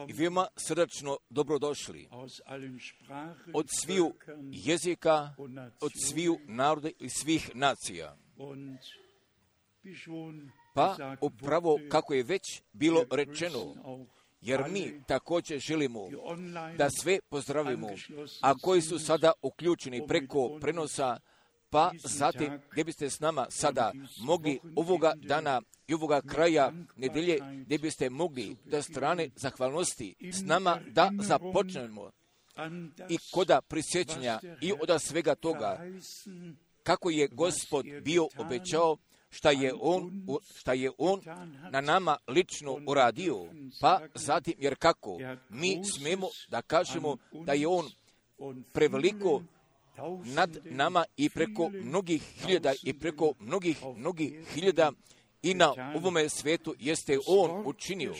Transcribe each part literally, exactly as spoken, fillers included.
i veoma srdačno dobrodošli od sviju jezika, od sviju naroda i svih nacija. Pa upravo kako je već bilo rečeno, jer mi također želimo da sve pozdravimo, a koji su sada uključeni preko prenosa, pa zatim gdje biste s nama sada mogli ovoga dana i ovoga kraja nedelje, gdje biste mogli da strane zahvalnosti s nama da započnemo i koda prisjećanja i od svega toga kako je Gospod bio obećao, šta je on, šta je on na nama lično uradio, pa zatim jer kako mi smemo da kažemo da je on preveliko nad nama i preko mnogih hiljada i preko mnogih, mnogih hiljada i na ovome svetu jeste on učinio.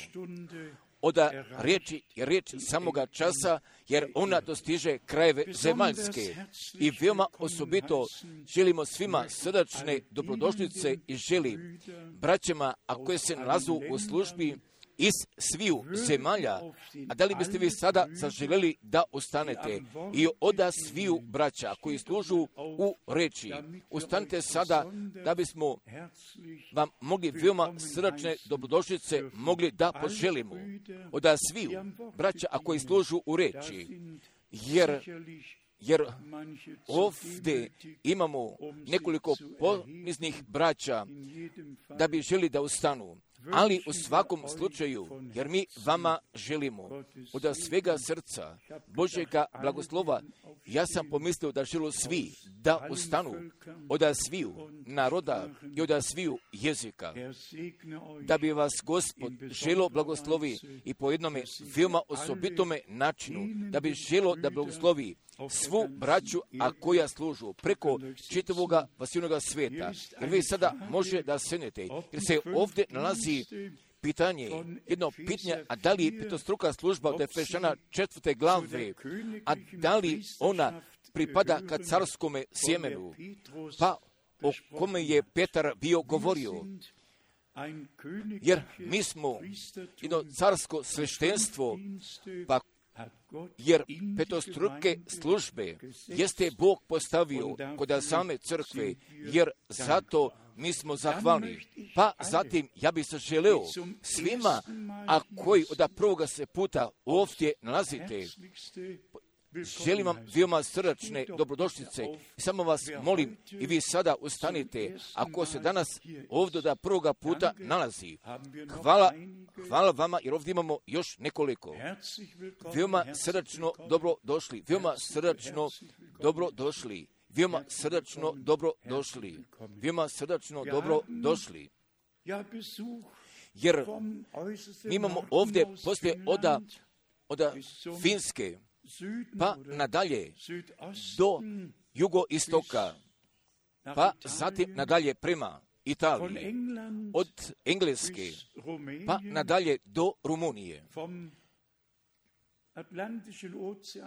Oda riječi je riječ samoga časa, jer ona dostiže krajeve zemaljske. I veoma osobito želimo svima srdačne dobrodošlice i želi braćama, a koje se nalazu u službi iz sviju zemalja. A da li biste vi sada zaželjeli da ustanete i oda sviju braća koji služu u reči? Ustanite sada da bismo vam mogli veoma srdačne dobrodošlice mogli da poželimo. Oda sviju braća, a koji služu u reči. Jer Jer ovdje imamo nekoliko poniznih braća da bi želi da ustanu. Ali u svakom slučaju, jer mi vama želimo od svega srca Božjega blagoslova, ja sam pomislio da žele svi da ustanu od sviju naroda i od sviju jezika, da bi vas Gospod želo blagoslovi i po jednome veoma osobitome načinu, da bi želo da blagoslovi svu braću, a koja služu preko čitavoga vasivnoga sveta. Jer vi sada može da senete, jer se ovdje nalazi pitanje, jedno pitanje, a da li je petostruka služba od Efešana četvrte glave, a da li ona pripada ka carskome sjemenu, pa o kome je Petar bio govorio. Jer mi smo jedno carsko sveštenstvo, pa jer petostruke službe jeste Bog postavio kod same crkve, jer zato mi smo zahvalni. Pa zatim ja bih se želeo svima, a koji od prvoga se puta ovdje nalazite, želim vam veoma srdačne dobrodošlice. Samo vas molim i vi sada ustanite, ako se danas ovdje da prvoga puta nalazi. Hvala, hvala vama, jer ovdje imamo još nekoliko. Veoma srdačno dobro došli, veoma srdačno dobro došli, veoma srdačno dobro došli, veoma srdačno dobro došli. Jer mi imamo ovdje poslije oda, oda Finske, pa nadalje do jugoistoka, pa zatim nadalje prema Italiji, od Engleske, pa nadalje do Rumunije,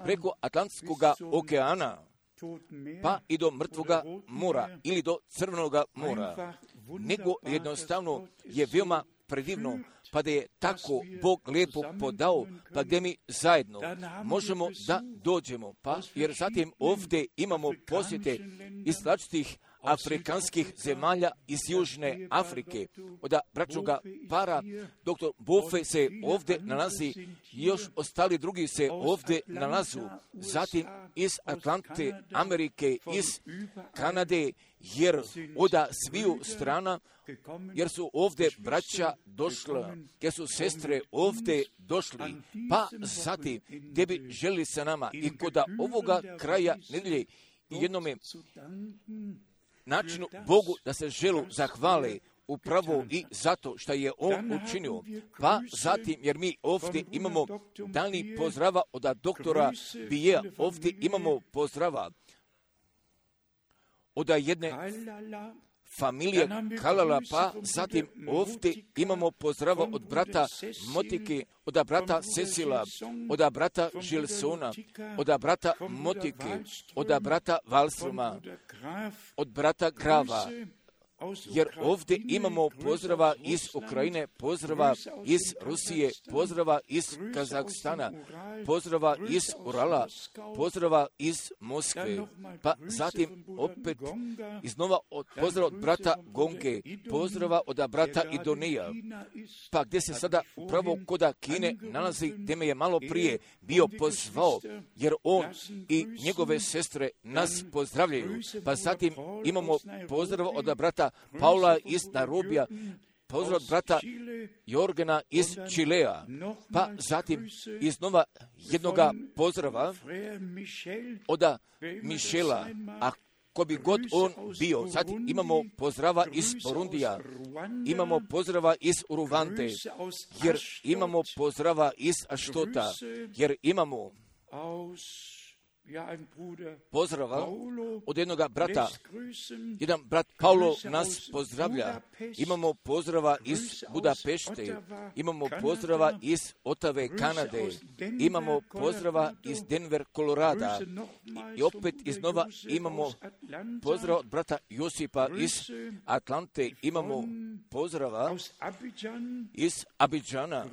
preko Atlantskog okeana, pa i do Mrtvoga mora ili do Crvenog mora, nego jednostavno je veoma predivno, pa da je tako Bog lijepo podao, pa gdje mi zajedno možemo da dođemo, pa jer zatim ovdje imamo posjete iz različitih afrikanskih zemalja iz Južne Afrike. Od bračnoga para, doktor Bofe se ovdje nalazi, još ostali drugi se ovdje nalazu, zatim iz Atlante, Amerike, iz Kanade, jer od sviju strana, jer su ovdje braća došla, jer su sestre ovdje došli, pa zatim gdje bi želi sa nama i kod ovoga kraja nedelje i jednome načinu Bogu da se želu zahvale upravo i zato što je On učinio. Pa zatim, jer mi ovdje imamo dani pozdrava od doktora Bije, ovdje imamo pozdrava od jedne familije Kalala, pa zatim ovdje imamo pozdrava od brata Motike, od brata Cecila, od brata Žilsona, od brata Motike, od brata Valstroma, od brata Grava. jer ovdje imamo pozdrava iz Ukrajine, pozdrava iz Rusije, pozdrava iz Kazahstana, pozdrava iz Urala, pozdrava iz Moskve, pa zatim opet iznova od pozdrava od brata Gonge, pozdrava od brata Idonija, pa gdje se sada upravo koda Kine nalazi, gdje me je malo prije bio pozvao, jer on i njegove sestre nas pozdravljaju, pa zatim imamo pozdrav od brata Paula iz Narobija, pozdrav od brata Jorgena iz Čilea, pa zatim iznova jednoga pozdrava od Mišela, a ko bi god on bio. Zatim imamo pozdrava iz Burundija, imamo pozdrava iz Uruvante, jer imamo pozdrava iz Aštota, jer imamo pozdrava od jednoga brata. Jedan brat Paulo nas pozdravlja. Imamo pozdrava iz Budapešte, imamo pozdrava iz Otave, Kanade, imamo pozdrava iz Denver, Kolorada i opet iznova imamo pozdrav od brata Josipa iz Atlante, imamo pozdrava iz Abidžana,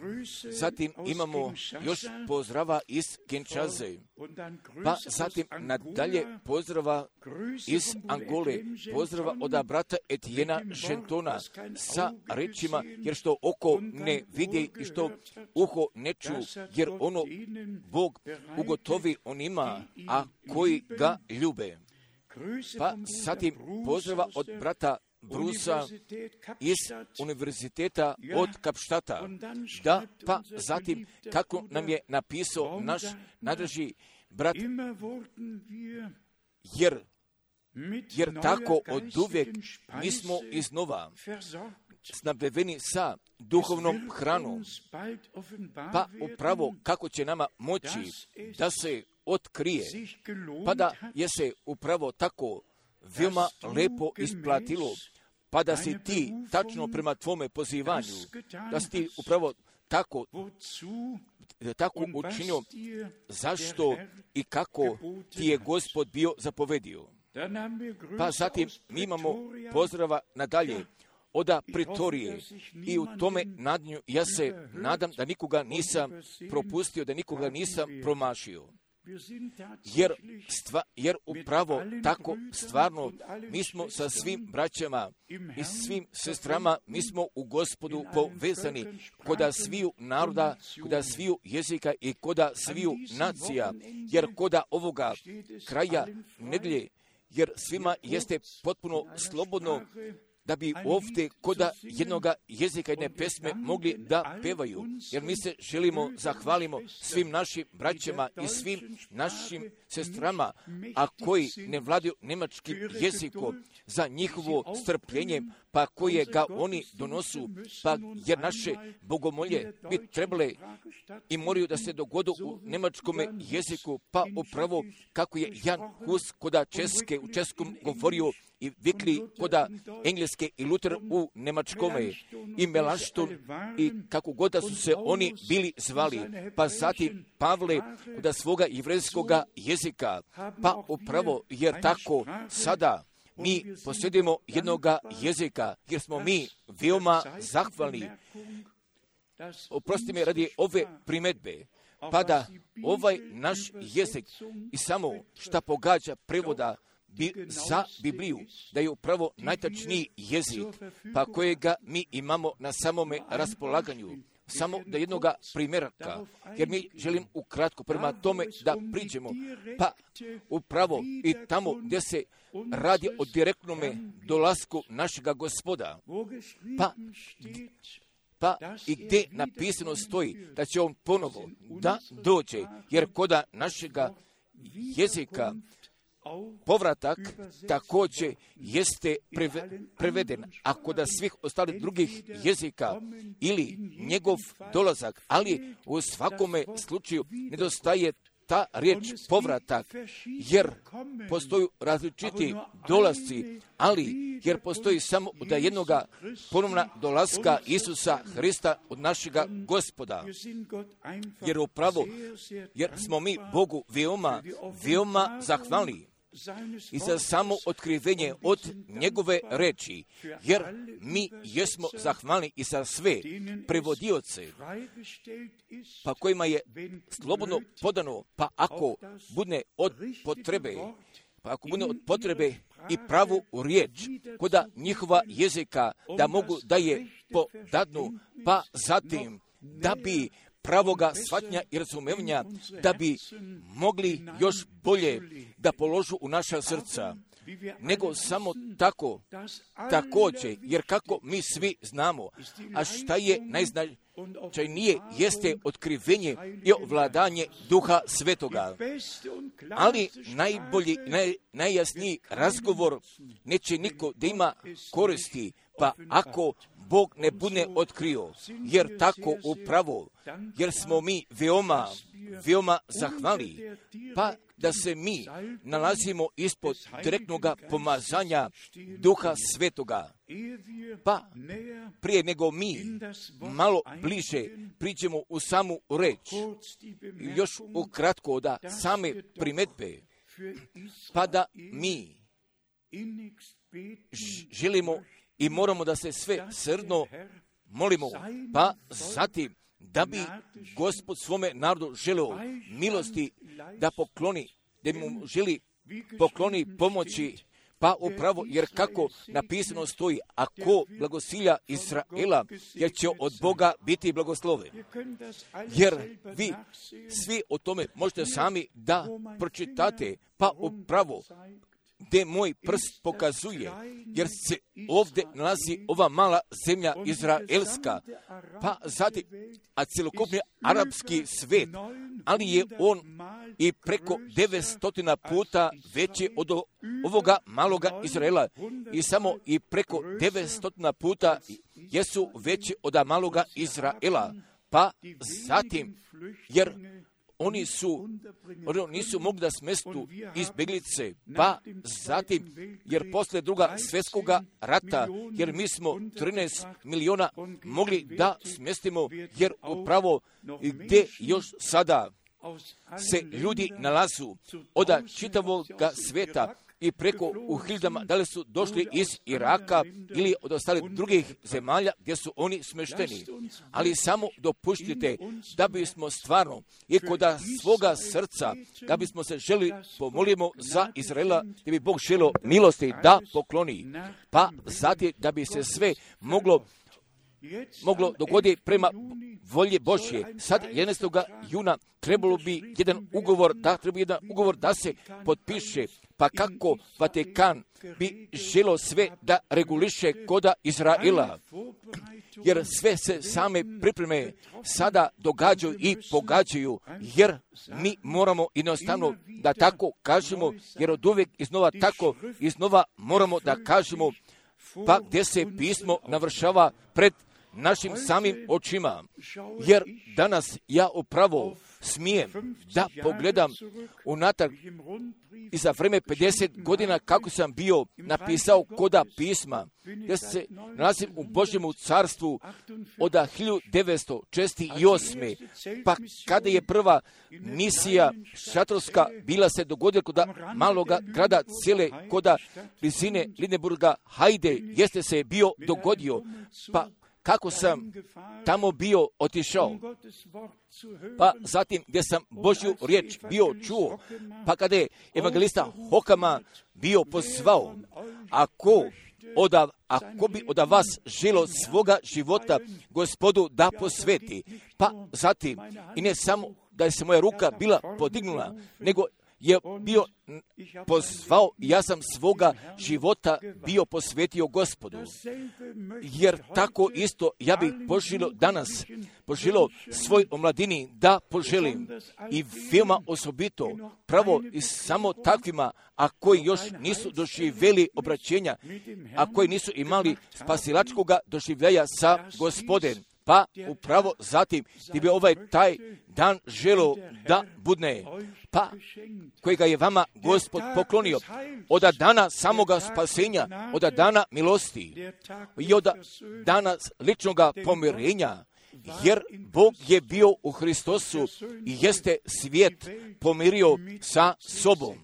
zatim imamo još pozdrava iz Kinshase, pa zatim nadalje pozdrava iz Angole, pozdrava od brata Etijena Žentona sa rečima, jer što oko ne vidi i što uho ne ču, jer ono Bog ugotovi onima, a koji ga ljube. Pa zatim pozdrava od brata Brusa iz univerziteta od Kapštata, da pa zatim kako nam je napisao naš nadrži brat, jer, jer tako od uvijek mi smo iznova snabdeveni sa duhovnom hranom, pa upravo kako će nama moći da se otkrije, pa da je se upravo tako veoma lepo isplatilo, pa da si ti tačno prema tvome pozivanju, da si ti upravo tako tako učinio, zašto i kako ti je Gospod bio zapovedio. Pa zatim mi imamo pozdrava nadalje od Pretorije i u tome nadnju ja se nadam da nikoga nisam propustio, da nikoga nisam promašio. Jer, stva, jer upravo tako stvarno mi smo sa svim braćama i svim sestrama, mi smo u Gospodu povezani koda sviju naroda, koda sviju jezika i koda sviju nacija, jer koda ovoga kraja nedjelje, jer svima jeste potpuno slobodno da bi ovdje koda jednoga jezika jedne pesme mogli da pevaju, jer mi se želimo zahvalimo svim našim braćama i svim našim sestrama, a koji ne vladaju nemačkim jezikom, za njihovo strpljenje, pa koje ga oni donosu, pa jer naše bogomolje bi trebale i moraju da se dogodu u nemačkom jeziku, pa upravo kako je Jan Hus koda Česke u českom govorio i vikli koda engleske i Luther u nemačkome i Melašton i kako god da su se oni bili zvali, pa zatim Pavle koda svoga jevrejskoga jezika, pa upravo jer tako sada mi posjedujemo jednoga jezika, jer smo mi veoma zahvalni. Oprosti mi radi ove primedbe, pa da ovaj naš jezik i samo šta pogađa prevoda bi, za Bibliju, da je upravo najtačniji jezik, pa kojega mi imamo na samome raspolaganju. Samo da jednoga primjeraka, jer mi želim ukratko prema tome da priđemo, pa upravo i tamo gdje se radi o direktnome dolasku našega Gospoda, pa, pa i gdje napisano stoji da će on ponovo da dođe, jer koda našega jezika povratak također jeste preveden, a kod svih ostalih drugih jezika ili njegov dolazak, ali u svakome slučaju nedostaje ta riječ povratak, jer postoju različiti dolasci, ali jer postoji samo da jednoga ponovna dolaska Isusa Hrista od našega Gospoda. Jer upravo, jer smo mi Bogu veoma, veoma zahvalni, i za samo otkrivenje od njegove reči, jer mi jesmo zahvalni i za sve prevodioce, pa kojima je slobodno podano, pa ako bude od potrebe, pa ako bude od potrebe i pravu riječ koda njihova jezika da mogu da je podadnu, pa zatim da bi pravoga shvatnja i razumevanja, da bi mogli još bolje da položu u naša srca, nego samo tako, također, jer kako mi svi znamo, a šta je najznačajnije, jeste otkrivenje i ovladanje Duha Svetoga. Ali najbolji, naj, najjasniji razgovor neće niko da ima koristi, pa ako Bog ne bude otkrio, jer tako upravo, jer smo mi veoma, veoma zahvali, pa da se mi nalazimo ispod direktnog pomazanja Duha Svetoga, pa prije nego mi malo bliže priđemo u samu reč, još ukratko da same primetbe, pa da mi želimo i moramo da se sve srdno molimo, pa zatim da bi Gospod svome narodu želeo milosti da pokloni, da mu želi pokloni pomoći, pa upravo, jer kako napisano stoji, ako blagosilja Izraela, jer će od Boga biti blagosloven. Jer vi svi o tome možete sami da pročitate, pa upravo, gdje moj prst pokazuje, jer se ovdje nalazi ova mala zemlja izraelska, pa zatim, a celokupni arapski svet, ali je on i preko devetsto puta veći od ovoga maloga Izraela i samo i preko devetsto puta jesu veći od maloga Izraela, pa zatim, jer oni su, oni nisu mogli da smestu izbjeglice, pa zatim, jer posle druga svjetskoga rata, jer mi smo trinaest miliona mogli da smestimo, jer upravo gdje još sada se ljudi nalazu od čitavog svijeta i preko u hiljadama, da li su došli iz Iraka ili od ostalih drugih zemalja gdje su oni smešteni. Ali samo dopuštite da bismo stvarno i kod svoga srca, da bismo se želi pomolimo za Izraela, da bi Bog želio milosti da pokloni, pa zatim da bi se sve moglo moglo dogoditi prema volje Božje. Sad jedanaestog juna trebalo bi jedan ugovor, da treba jedan ugovor da se potpiše, pa kako Vatikan bi želio sve da reguliše koda Izraela, jer sve se same pripreme sada događaju i pogađaju, jer mi moramo jednostavno da tako kažemo, jer od uvijek iznova tako iznova moramo da kažemo, pa gdje se pismo navršava pred našim samim očima, jer danas ja upravo smijem da pogledam unatrag i za vreme pedeset godina kako sam bio napisao koda pisma, gdje se nalazim u Božjemu carstvu od hiljadu devetsto šezdeset osme. Pa kada je prva misija šatorska bila se dogodila kod maloga grada cijele koda blizine Lindenburga, Hajde, jeste se bio dogodio, pa kako sam tamo bio otišao, pa zatim gdje sam Božju riječ bio čuo, pa kada je evangelista Hokama bio pozvao, ako, oda, ako bi od vas želo svoga života Gospodu da posveti, pa zatim i ne samo da je se moja ruka bila podignula, nego je bio pozvao, ja sam svoga života bio posvetio Gospodu. Jer tako isto ja bih poželio danas, poželio svoj omladini da poželim i veoma osobito pravo i samo takvima, a koji još nisu doživjeli obraćenja, a koji nisu imali spasilačkog doživljaja sa Gospodem. Pa upravo zatim ti bi ovaj taj dan želio da budne, pa kojega je vama Gospod poklonio od dana samoga spasenja, od dana milosti i od dana ličnog pomirenja, jer Bog je bio u Hristosu i jeste svijet pomirio sa sobom.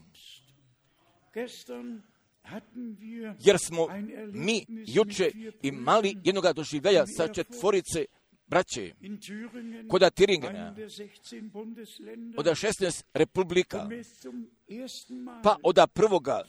jer smo mi juče imali jednoga doživljaja sa četvorice braće kod Thüringena, od šesnaest republika, pa od prvoga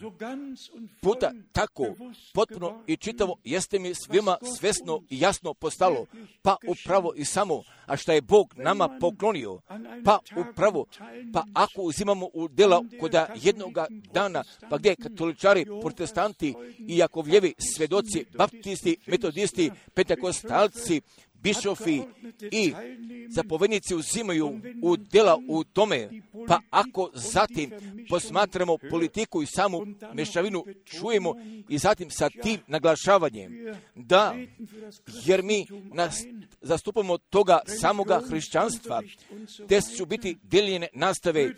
puta tako potpuno i čitavo jeste mi svima svesno i jasno postalo, pa upravo i samo, a šta je Bog nama poklonio, pa upravo, pa ako uzimamo u dela kod jednoga dana, pa gdje katoličari, protestanti i Jakovljevi, svedoci, baptisti, metodisti, pentekostalci, bišofi i zapovjednici uzimaju u dela u tome, pa ako zatim posmatramo politiku i samu mešavinu čujemo i zatim sa tim naglašavanjem, da, jer mi nas zastupamo toga samoga hrišćanstva, te su biti dijeljene nastave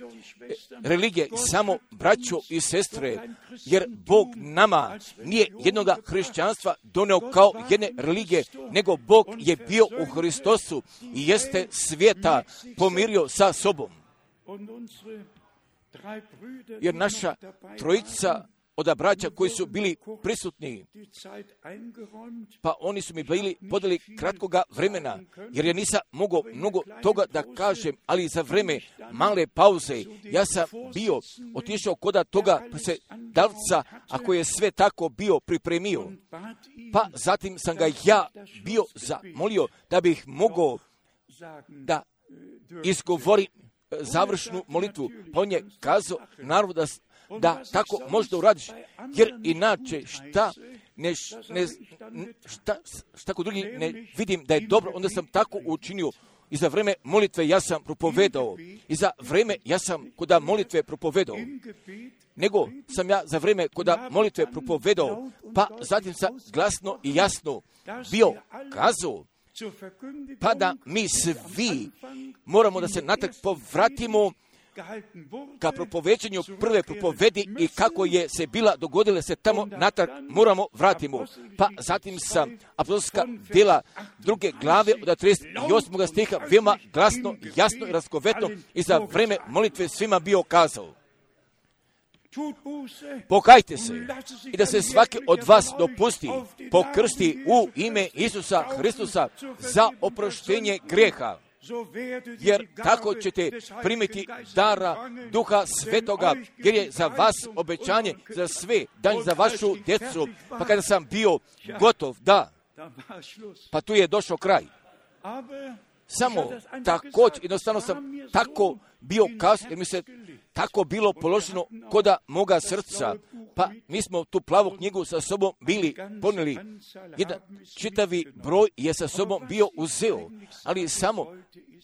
religije samo braćo i sestre, jer Bog nama nije jednoga hrišćanstva doneo kao jedne religije, nego Bog je bio u Hristosu i jeste svijeta pomirio sa sobom. Jer naša trojica od braća koji su bili prisutni, pa oni su mi bili podali kratkoga vremena, jer ja nisam mogao mnogo toga da kažem, ali za vreme male pauze ja sam bio otišao kod toga dalca, ako je sve tako bio pripremio, pa zatim sam ga ja bio zamolio da bih mogao da izgovorim završnu molitvu, pa on je kazao naravno da da tako možda uradiš, jer inače šta, ne, ne, šta, šta kod drugih ne vidim da je dobro, onda sam tako učinio i za vreme molitve ja sam propovedao, i za vreme ja sam kod molitve propovedao, nego sam ja za vreme kod molitve propovedao, pa zatim sam glasno i jasno bio kazao, pa da mi svi moramo da se natrag povratimo ka propoveđenju prve propovedi i kako je se bila dogodila se tamo natrag moramo vratimo. Pa zatim sam apostolska djela druge glave od trideset osmog stiha veoma glasno, jasno i raskovetno i za vreme molitve svima bio kazao: pokajte se i da se svaki od vas dopusti pokrsti u ime Isusa Hristusa za oproštenje grijeha, jer tako ćete primiti dara Duha Svetoga, jer je za vas obećanje za sve, dan za vašu djecu. Pa kada sam bio gotov, da, pa tu je došao kraj. Samo također, jednostavno sam tako bio kazao, jer mi se tako bilo položeno koda moga srca, pa mi smo tu plavu knjigu sa sobom bili ponijeli. Jedan čitavi broj je sa sobom bio uzeo, ali samo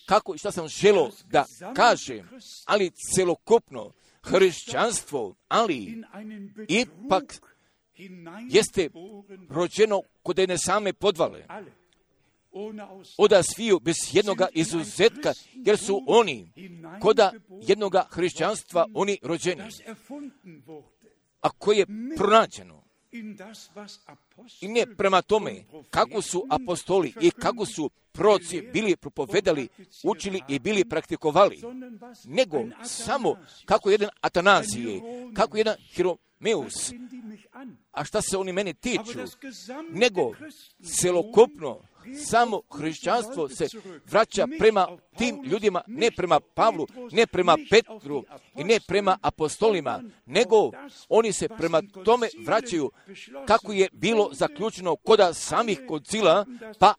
kako i šta sam želio da kažem, ali celokupno hrišćanstvo, ali ipak jeste rođeno kod jedne same podvale. Oda sviju bez jednoga izuzetka, jer su oni koda jednoga hrišćanstva oni rođeni, a koje je pronađeno. I ne prema tome kako su apostoli i kako su proroci bili propovedali, učili i bili praktikovali, nego samo kako jedan Atanazije, kako jedan Hieromeus, a šta se oni mene tiču, nego celokupno samo hrišćanstvo se vraća prema tim ljudima, ne prema Pavlu, ne prema Petru i ne prema apostolima, nego oni se prema tome vraćaju kako je bilo zaključeno koda samih koncila, pa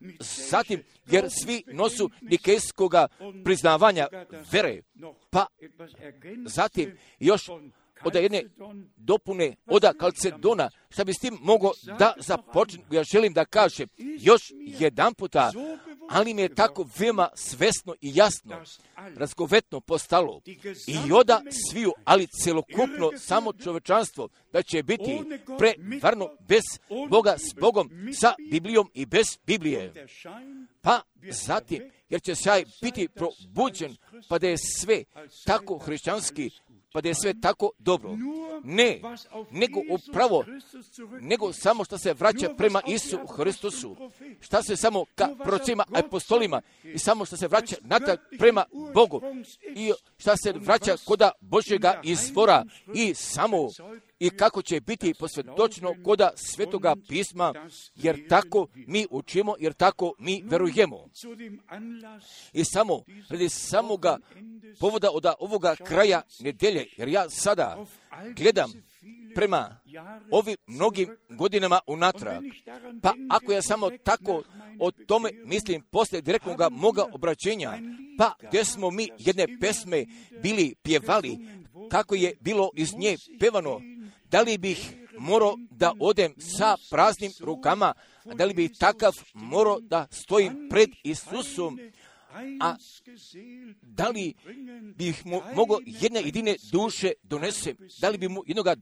zatim, jer svi nosu nikejskoga priznavanja vere, pa zatim još od jedne dopune od Kalcedona, šta bi s tim mogo da započnem, ja želim da kažem još jedan puta, ali mi je tako veoma svesno i jasno, razgovetno postalo i oda sviju, ali celokupno samo čovečanstvo, da će biti prevarno bez Boga s Bogom, sa Biblijom i bez Biblije. Pa zatim, jer će sjaj biti probuđen, pa da je sve tako hrišćanski, pa da je sve tako dobro. Ne, nego upravo, nego samo što se vraća prema Isu Hristusu, šta se samo ka prorocima, apostolima i samo što se vraća natrag prema Bogu i šta se vraća koda Božjega izvora i samo i kako će biti posvjedočeno koda Svetoga pisma, jer tako mi učimo, jer tako mi verujemo. I samo radi samoga povoda od ovoga kraja nedelje, jer ja sada gledam prema ovim mnogim godinama unatrag. Pa ako ja samo tako o tome mislim poslije direktnoga moga obraćenja, pa gdje smo mi jedne pesme bili pjevali, kako je bilo iz nje pevano, da li bih morao da odem sa praznim rukama, a da li bih takav morao da stojim pred Isusom, a da li bih mu mogao jedne jedine duše donese, da li bi mu jednoga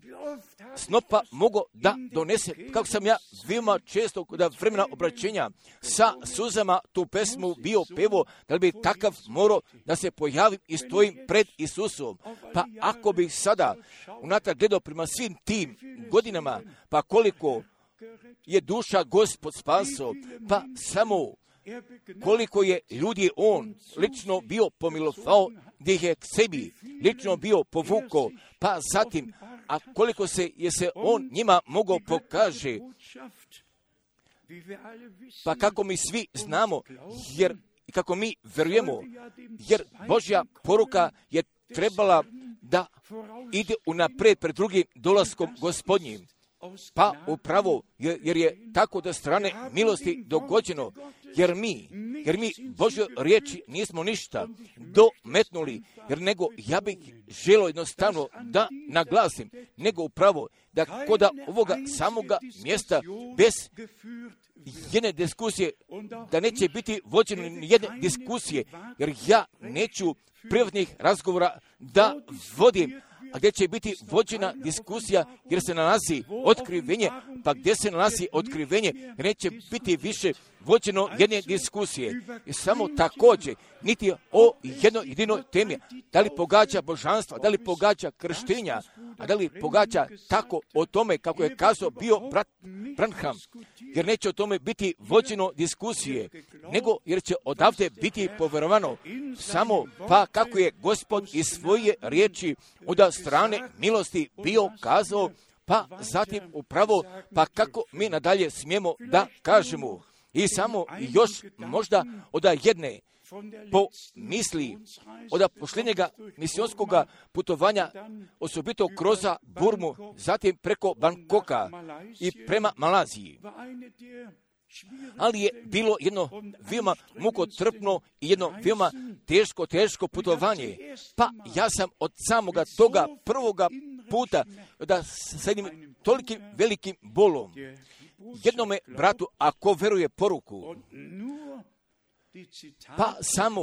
snopa mogao da donese, kako sam ja veoma često kod vremena obraćenja sa suzama tu pesmu bio pevo, da li bi takav morao da se pojavim i stojim pred Isusom. Pa ako bih sada unatrag gledao prema svim tim godinama, pa koliko je duša Gospod spasao, pa samo koliko je ljudi on lično bio pomilovao, gdje ih je k sebi lično bio povukao, pa zatim, a koliko se je se on njima mogao pokaže, pa kako mi svi znamo, jer kako mi verujemo, jer Božja poruka je trebala da ide unaprijed pred drugim dolaskom Gospodnjim. Pa upravo, jer je tako da strane milosti dogođeno, jer mi, jer mi Božjoj riječi nismo ništa dometnuli, jer nego ja bih želio jednostavno da naglasim, nego upravo da koda ovoga samoga mjesta bez jedne diskusije, da neće biti vođeno jedne diskusije, jer ja neću privatnih razgovora da vodim, a gdje će biti vođena diskusija, jer se nalazi otkrivenje, pa gdje se nalazi otkrivenje, neće biti više vođeno jedne diskusije. I samo također, niti o jednoj jedinoj temi, da li pogađa božanstva, da li pogađa krštenja, a da li pogađa tako o tome kako je kazao bio brat Branham, jer neće o tome biti vođeno diskusije, nego jer će odavde biti povjerovano samo pa kako je Gospod iz svoje riječi od strane milosti bio kazao, pa zatim upravo, pa kako mi nadalje smijemo da kažemo. I samo još možda od jedne po misli od posljednjega misionskog putovanja, osobito kroz Burmu, zatim preko Bangkoka i prema Malaziji. Ali je bilo jedno veoma mukotrpno i jedno veoma teško, teško putovanje. Pa ja sam od samoga toga prvoga puta da sa jednim tolikim velikim bolom jednome bratu, ako veruje poruku, pa samo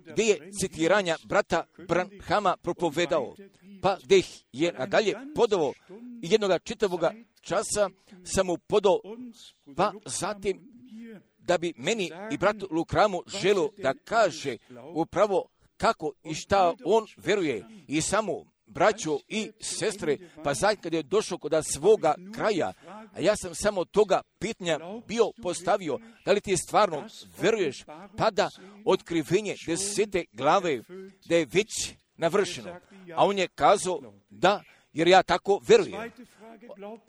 gdje je citiranja brata Branhama propovedao, pa gdje ih je nadalje podao i jednoga čitavoga časa sam mu podao, pa zatim da bi meni i bratu Lukramu želio da kaže upravo kako i šta on veruje i samo braćo i sestre, pa zatim kad je došao kod svoga kraja, a ja sam samo toga pitanja bio postavio, da li ti stvarno veruješ, pa da otkrivenje desete glave, da je već navršeno. A on je kazao da, jer ja tako verujem.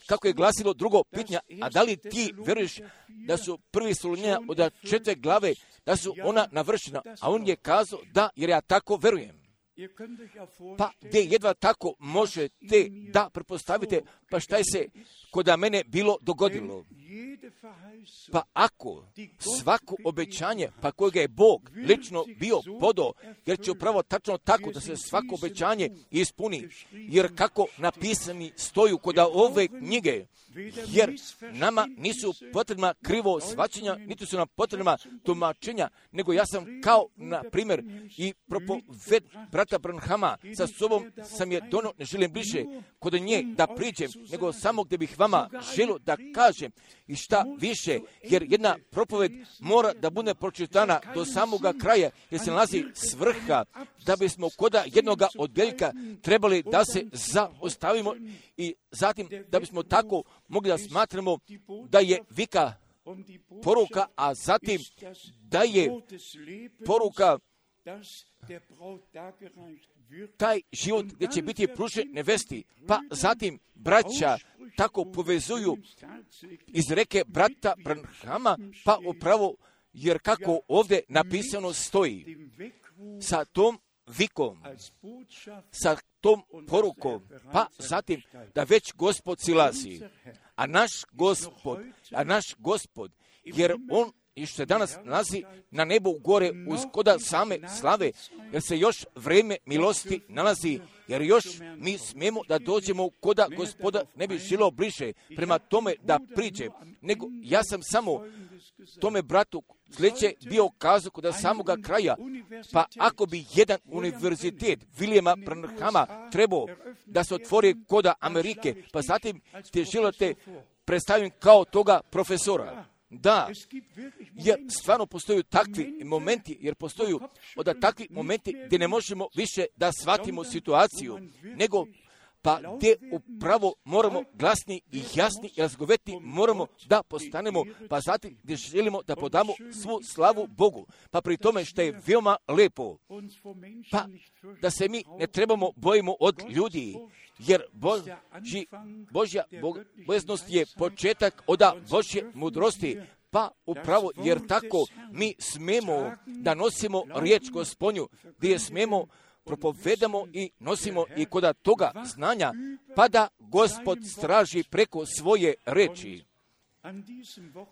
Kako je glasilo drugo pitanje, a da li ti veruješ da su prvi Solunjena od četiri glave, da su ona navršena, a on je kazao da, jer ja tako verujem. Pa gdje jedva tako možete da pretpostavite, pa šta je se kod mene bilo dogodilo. Pa ako svako obećanje, pa kojega je Bog lično bio podao, jer će upravo tačno tako da se svako obećanje ispuni, jer kako napisani stoju kod ove knjige, jer nama nisu potrebna krivo shvaćanja, niti su nam potrebna tumačenja, nego ja sam kao, na primjer, i propoved brata Branhama sa sobom sam je dono, ne želim bliže kod nje da priđem, nego samo gdje bih vama želio da kažem i šta više, jer jedna propoved mora da bude pročitana do samoga kraja, jer se nalazi svrha, da bismo kod jednoga odjeljka trebali da se zaostavimo i zatim da bismo tako mogli da smatramo da je vika poruka, a zatim da je poruka taj život gdje će biti pružen nevesti. Pa zatim braća tako povezuju iz reke brata Branhama, pa upravo, jer kako ovdje napisano stoji, sa tom vikom, sa tom porukom, pa zatim da već Gospod silazi. A naš Gospod, a naš Gospod, jer on i što se danas nalazi na nebu gore uz koda same slave, jer se još vrijeme milosti nalazi, jer još mi smijemo da dođemo koda Gospoda ne bi žilo bliže prema tome da priđe, nego ja sam samo tome bratu sljedeće bio kazao kod samoga kraja, pa ako bi jedan univerzitet Williama Branhama trebao da se otvori koda Amerike, pa zatim te želite predstavim kao toga profesora. Da, jer stvarno postoju takvi momenti, jer postoju od takvi momenti gdje ne možemo više da shvatimo situaciju, nego pa gdje upravo moramo glasni i jasni i razgovetni moramo da postanemo, pa zatim gdje želimo da podamo svu slavu Bogu. Pa pri tome što je veoma lepo, pa da se mi ne trebamo bojimo od ljudi, jer Boži, Božja bojaznost je početak od Božje mudrosti, pa upravo jer tako mi smemo da nosimo riječ Gospodnju, gdje smemo propovedamo i nosimo i koda toga znanja, pa da Gospod straži preko svoje reči.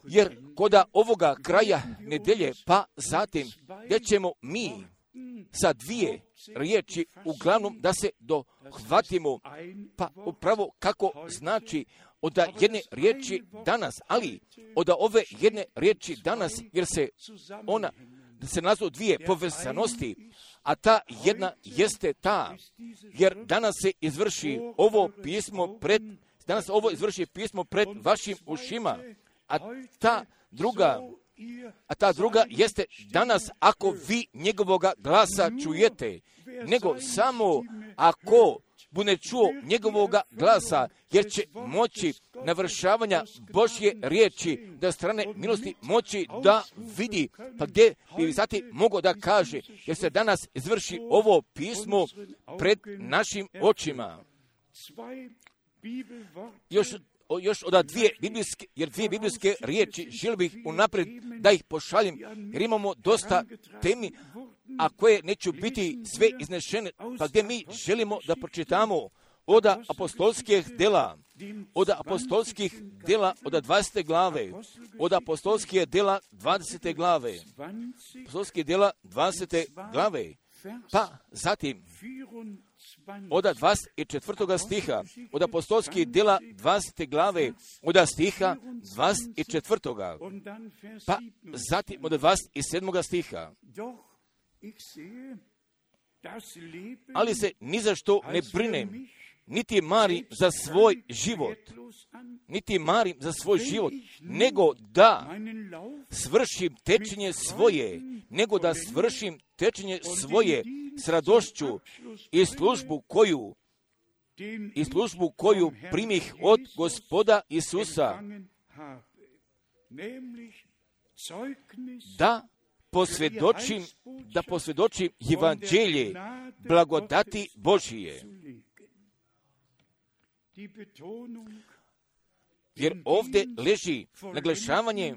Jer koda ovoga kraja nedelje, pa zatim gdje ćemo mi sa dvije riječi uglavnom da se dohvatimo, pa upravo kako znači od jedne riječi danas, ali od ove jedne riječi danas, jer se ona, da se nazvu dvije povezanosti, a ta jedna jeste ta, jer danas se izvrši ovo pismo pred, danas ovo izvrši pismo pred vašim ušima, a ta druga, a ta druga jeste danas ako vi njegovoga glasa čujete, nego samo ako bude čuo njegovoga glasa, jer će moći navršavanja Božje riječi, da strane milosti moći da vidi, pa gdje bi zatim mogao da kaže, jer se danas izvrši ovo pismo pred našim očima. Još još od dvije biblijske, jer dvije biblijske riječi želio bih unaprijed da ih pošaljem, jer imamo dosta temi, a koje neću biti sve iznešene, pa gdje mi želimo da pročitamo od apostolskih dela, od apostolskih dela od dvadesete glave, od apostolskih dela dvadesete glave, apostolskih dela dvadesete glave, pa zatim od dvadeset četvrtog stiha, od apostolskih dela dvadesete glave, od stiha dvadeset četvrtog pa zatim od dvadeset sedmog stiha. Ali se ni za što ne brinem, niti marim za svoj život, niti marim za svoj život, nego da svršim tečenje svoje, nego da svršim tečenje svoje s radošću i službu koju, i službu koju primih od Gospoda Isusa, da posvjedočim, da posvjedočim evanđelje blagodati Božije. Jer ovdje leži naglašavanje,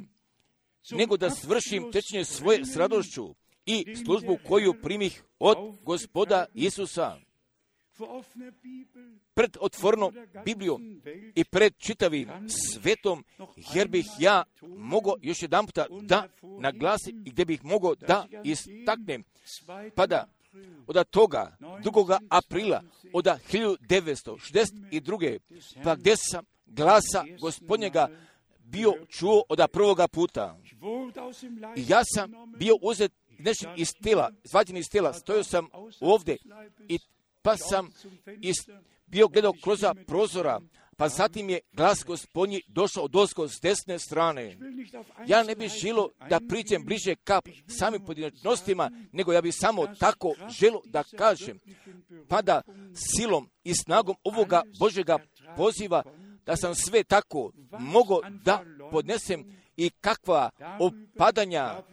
nego da svršim tečenje svoje s radošću i službu koju primih od Gospoda Isusa. Pred otvornom Biblijom i pred čitavim svetom, jer bih ja mogao još jedan puta da naglasim i gdje bih mogao da istaknem, pa da od toga drugog aprila od hiljadu devetsto šezdeset druge pa gdje sam glasa Gospodnjega bio čuo od prvoga puta. I ja sam bio uzet nešen iz tela, izvađen iz tela, stojao sam ovdje i pa sam iz, bio gledao kroz prozora, pa zatim je glas Gospodnji došao od ozgo s desne strane. Ja ne bih želio da priđem bliže ka samim pojedinačnostima, nego ja bih samo tako želio da kažem, pa da silom i snagom ovoga Božjega poziva, da sam sve tako mogao da podnesem i kakva opadanja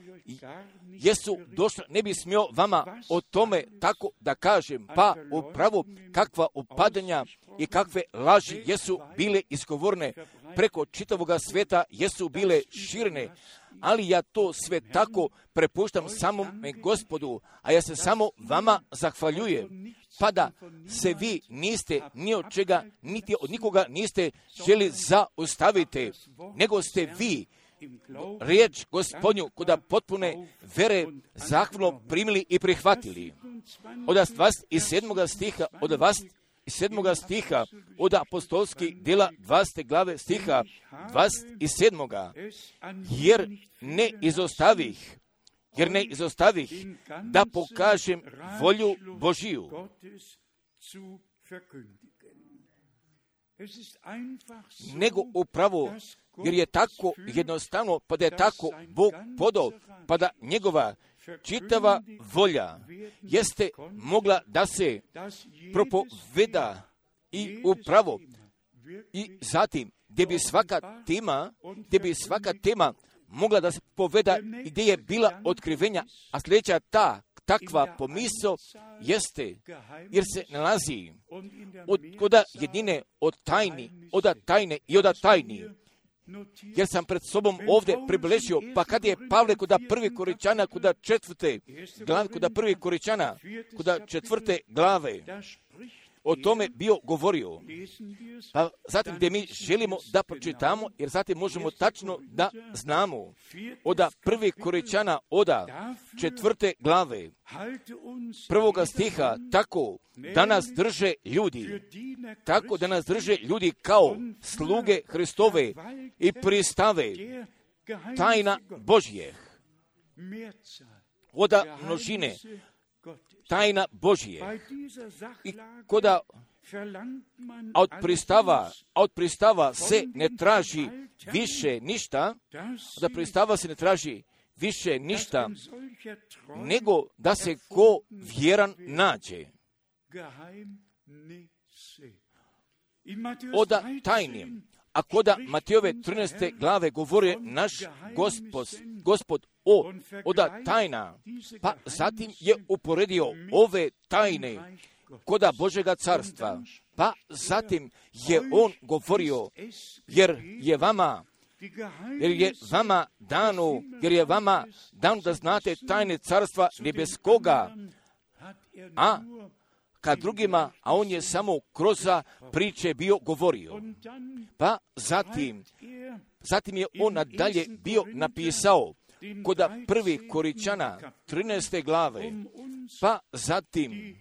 jesu došla, ne bi smio vama o tome tako da kažem, pa upravo kakva opadanja i kakve laži jesu bile izgovorene preko čitavoga sveta, jesu bile širene, ali ja to sve tako prepuštam samome Gospodu, a ja se samo vama zahvaljujem, pa da se vi niste ni od čega, niti od nikoga niste želi zaustaviti, nego ste vi riječ Gospodnju kuda potpune vere zahvalno primili i prihvatili. Od dvadeset sedmog stiha, od dvadeset sedmog stiha, od apostolskih djela dvadesete glave stiha dvadeset sedmog jer ne izostavih, jer ne izostavih da pokažem volju Božiju. Nego upravo, jer je tako jednostavno, pa da je tako Bog podao, pa da njegova čitava volja jeste mogla da se propoveda i upravo i zatim gdje bi svaka tema, gdje bi svaka tema mogla da se poveda i gdje je bila otkrivenja, a sljedeća ta takva pomisao jeste, jer se nalazi od koda jedine od tajni, oda tajne i oda tajni. Jer sam pred sobom ovdje približio, pa kad je Pavle kuda prvi Koričana, kuda četvrte glave, kuda prvi Koričana, kuda četvrte glave, o tome bio govorio. Pa zatim gdje mi želimo da pročitamo, jer zatim možemo tačno da znamo. Oda prvi Koričana, oda četvrte glave, prvoga stiha, tako da nas drže ljudi, tako da nas drže ljudi kao sluge Hristove i pristave tajna Božje. Oda množine, tajna Božje. I koda od pristava, od pristava se ne traži više ništa, da pristava se ne traži više ništa, nego da se ko vjeran nađe. Oda tajnim, a koda Matejove trinaeste glave govori naš Gospod, Gospod o oda tajna, pa zatim je uporedio ove tajne koda Božega carstva, pa zatim je on govorio, jer je vama, jer je vama dano, jer je vama dano da znate tajne carstva nebeskoga, a kad drugima, a on je samo kroz priče bio govorio. Pa zatim, zatim je on nadalje bio napisao koda prvi Koričana trinaeste glave, pa zatim,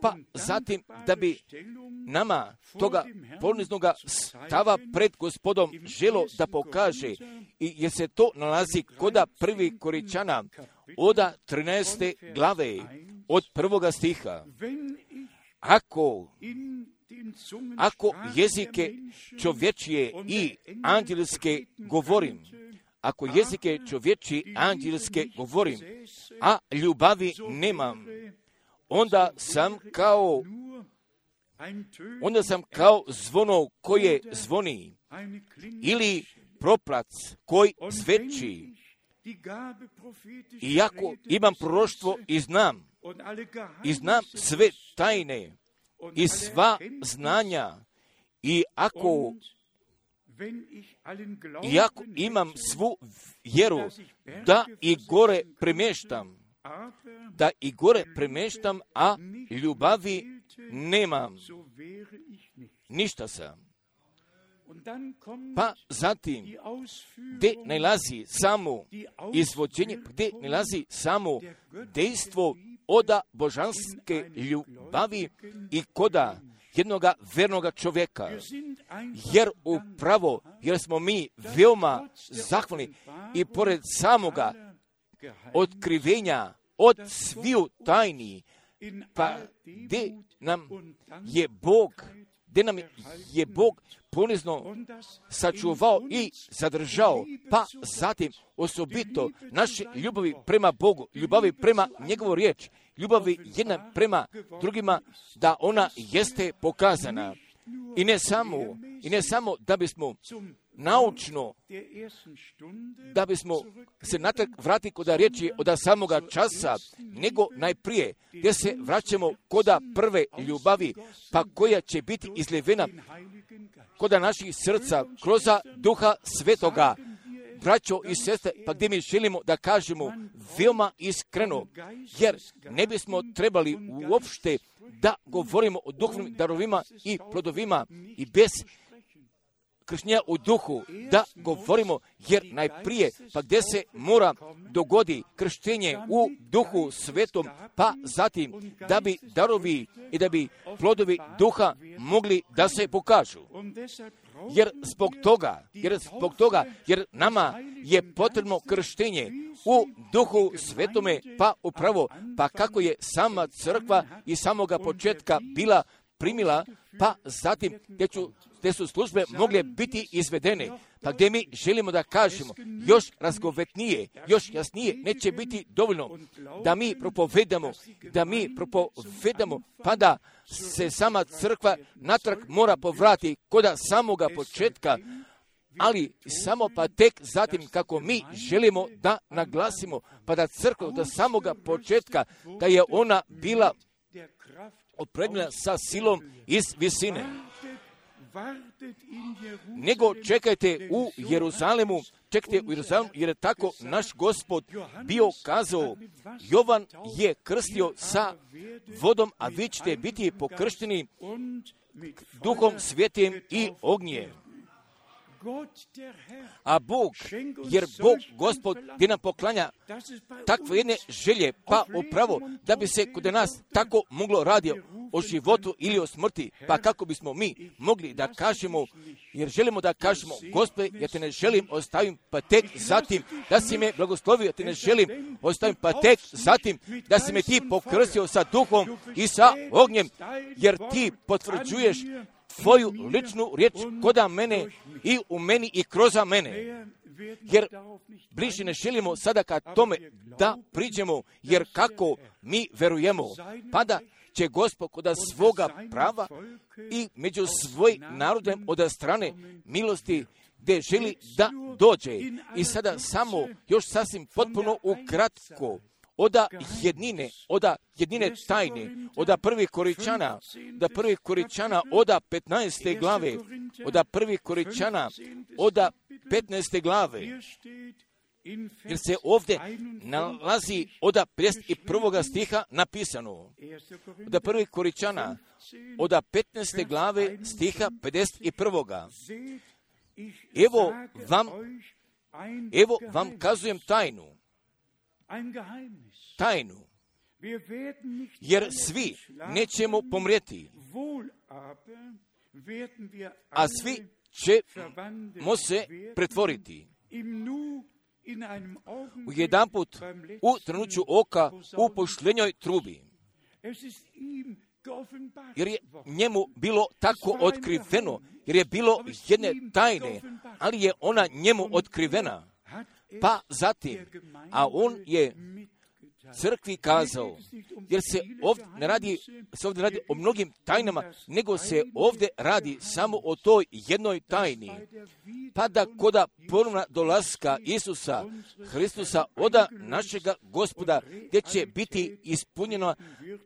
pa zatim da bi nama toga poniznoga stava pred Gospodom želo da pokaže, i jer se to nalazi koda prvi Koričana oda trinaeste glave od prvoga stiha. Ako ako jezike čovječije i anđelske govorim, ako jezike čovječije i anđelske govorim, a ljubavi nemam, onda sam kao onda sam kao zvono koje zvoni, ili proplac koji zveči. Iako imam proroštvo i znam, i znam sve tajne i sva znanja, i ako iako imam svu vjeru da i gore premještam, da i gore premještam, a ljubavi nemam, ništa sam. Pa zatim, gdje nalazi samo izvođenje, gdje nalazi samo dejstvo oda božanske ljubavi i koda jednoga vernoga čovjeka. Jer upravo, jer smo mi veoma zahvalni i pored samoga otkrivenja od sviju tajni, pa gdje nam je Bog, gdje nam je Bog ponizno sačuvao i zadržao, pa zatim osobito naše ljubavi prema Bogu, ljubavi prema njegovu riječ, ljubavi jedna prema drugima, da ona jeste pokazana. I ne samo, i ne samo da bismo naučno, da bismo se natrag vratili kod riječi od samoga časa, nego najprije gdje se vraćamo kod prve ljubavi, pa koja će biti izljevena kod naših srca kroz Duha Svetoga. Braćo i sestre, pa gdje mi želimo da kažemo veoma iskreno, jer ne bismo trebali uopšte da govorimo o duhovnim darovima i plodovima i bez krštenja u duhu, da govorimo, jer najprije, pa gdje se mora dogodi krštenje u Duhu Svetom, pa zatim da bi darovi i da bi plodovi duha mogli da se pokažu. Jer zbog toga, jer zbog toga, jer nama je potrebno krštenje u Duhu Svetome, pa upravo, pa kako je sama crkva i samoga početka bila primila, pa zatim gdje, ću, gdje su službe mogle biti izvedene, pa gdje mi želimo da kažemo još razgovetnije, još jasnije, neće biti dovoljno da mi propovedamo, da mi propovedamo, pa da se sama crkva natrag mora povrati kod samoga početka, ali samo pa tek zatim kako mi želimo da naglasimo, pa da crkva do samoga početka, da je ona bila opremljena sa silom iz visine. Nego čekajte u Jeruzalemu, čekajte u Jeruzalemu, jer je tako naš Gospod bio kazao. Jovan je krstio sa vodom, a vi ćete biti pokršteni Duhom Svetim i ognjem. A Bog, jer Bog, Gospod, gdje nam poklanja takve jedne želje, pa upravo da bi se kod nas tako moglo radi o životu ili o smrti, pa kako bismo mi mogli da kažemo, jer želimo da kažemo, Gospode, ja te ne želim ostavim, pa tek zatim da si me blagoslovio, ja te ne želim ostavim, pa tek zatim da si me ti pokrstio sa duhom i sa ognjem, jer ti potvrđuješ tvoju ličnu riječ koda mene i u meni i kroz mene. Jer bliže ne želimo sada ka tome da priđemo, jer kako mi verujemo, pa da će Gospod kod svoga prava i među svoj narodem od strane milosti gdje želi da dođe. I sada samo još sasvim potpuno ukratko oda jednine, oda jednine tajne, oda prvih Koričana, oda prvih Koričana, oda petnaeste glave, oda prvih Koričana, oda petnaeste glave, jer se ovdje nalazi oda pedeset prvog stiha napisano. Oda prvih Koričana, oda petnaeste glave stiha pedeset prvog. Evo vam, evo vam kazujem tajnu. Tajnu, jer svi nećemo pomrijeti, a svi ćemo se pretvoriti. U jedanput, u trenuću oka, u pošljenjoj trubi. Jer je njemu bilo tako otkriveno, jer je bilo jedne tajne, ali je ona njemu otkrivena. Pa zatim, a on je crkvi kazao, jer se ovdje ne radi, se ovdje radi o mnogim tajnama, nego se ovdje radi samo o toj jednoj tajni. Pa da koda ponovna dolaska Isusa Hristusa oda našega Gospoda, gdje će biti ispunjena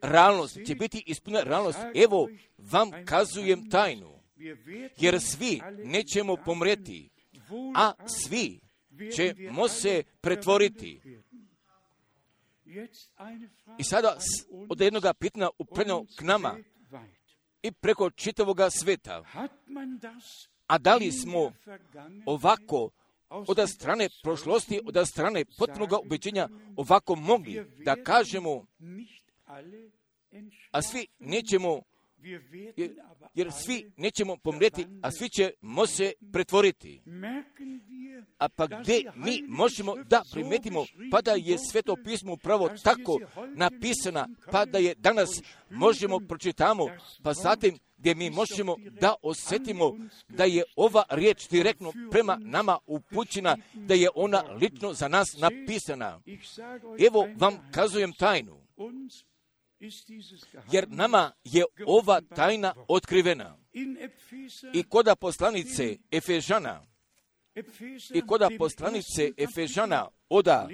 realnost, će biti ispunjena realnost, evo vam kazujem tajnu, jer svi nećemo pomrijeti, a svi ćemo se pretvoriti. I sada od jednog pitanja upredno k nama i preko čitavoga sveta. A da li smo ovako od strane prošlosti, od strane potpunog ubeđenja ovako mogli da kažemo, a svi nećemo, jer, jer svi nećemo pomrijeti, a svi ćemo se pretvoriti. A pa gdje mi možemo da primetimo, pa da je Sveto pismo upravo tako napisana, pa da je danas možemo pročitamo, pa zatim gdje mi možemo da osjetimo da je ova riječ direktno prema nama upućena, da je ona lično za nas napisana. Evo vam kazujem tajnu, jer nama je ova tajna otkrivena. I koda poslanice Efežana, i kod poslanice Efežana oda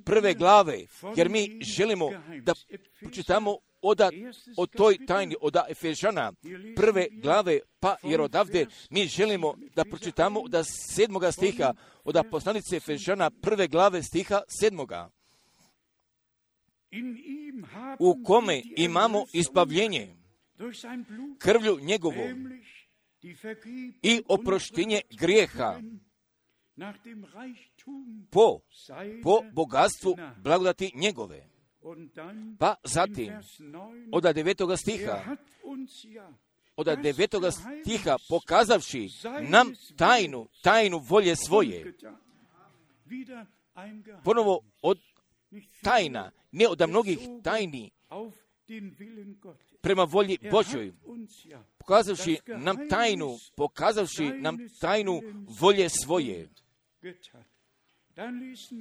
prve glave, jer mi želimo da pročitamo oda o toj tajni, oda Efežana prve glave, pa jer odavde mi želimo da pročitamo od sedmoga stiha, od poslanice Efežana prve glave stiha sedmoga, u kome imamo izbavljenje krvlju njegovom i oproštenje grijeha po, po bogatstvu blagodati njegove. Pa zatim, od devetoga stiha, od devetoga stiha, pokazavši nam tajnu, tajnu volje svoje, ponovo od tajna, ne od mnogih tajni, prema volji Božoj, pokazavši nam tajnu, pokazavši nam tajnu volje svoje.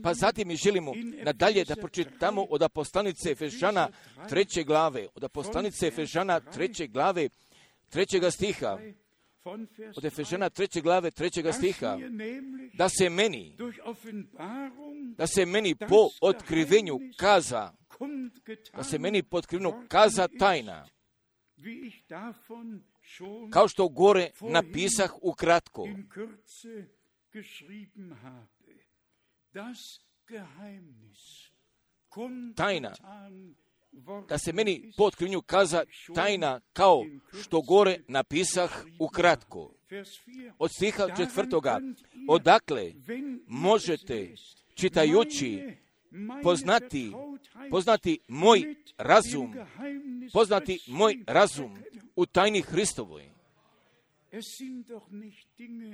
Pa zatim mi želimo nadalje da pročitamo od poslanice Efežana treće glave, od poslanice Efežana treće glave, trećega stiha, od Efežana treće glave, trećega stiha, da se meni, da se meni po otkrivenju kaza, da se meni po otkrivenju kaza tajna, kao što gore napisah ukratko. Tajna, da se meni po otkrivenju kaza tajna, kao što gore napisah ukratko. Od stiha četvrtoga, odakle možete, čitajući, poznati, poznati moj razum, poznati moj razum u tajni Hristovoj.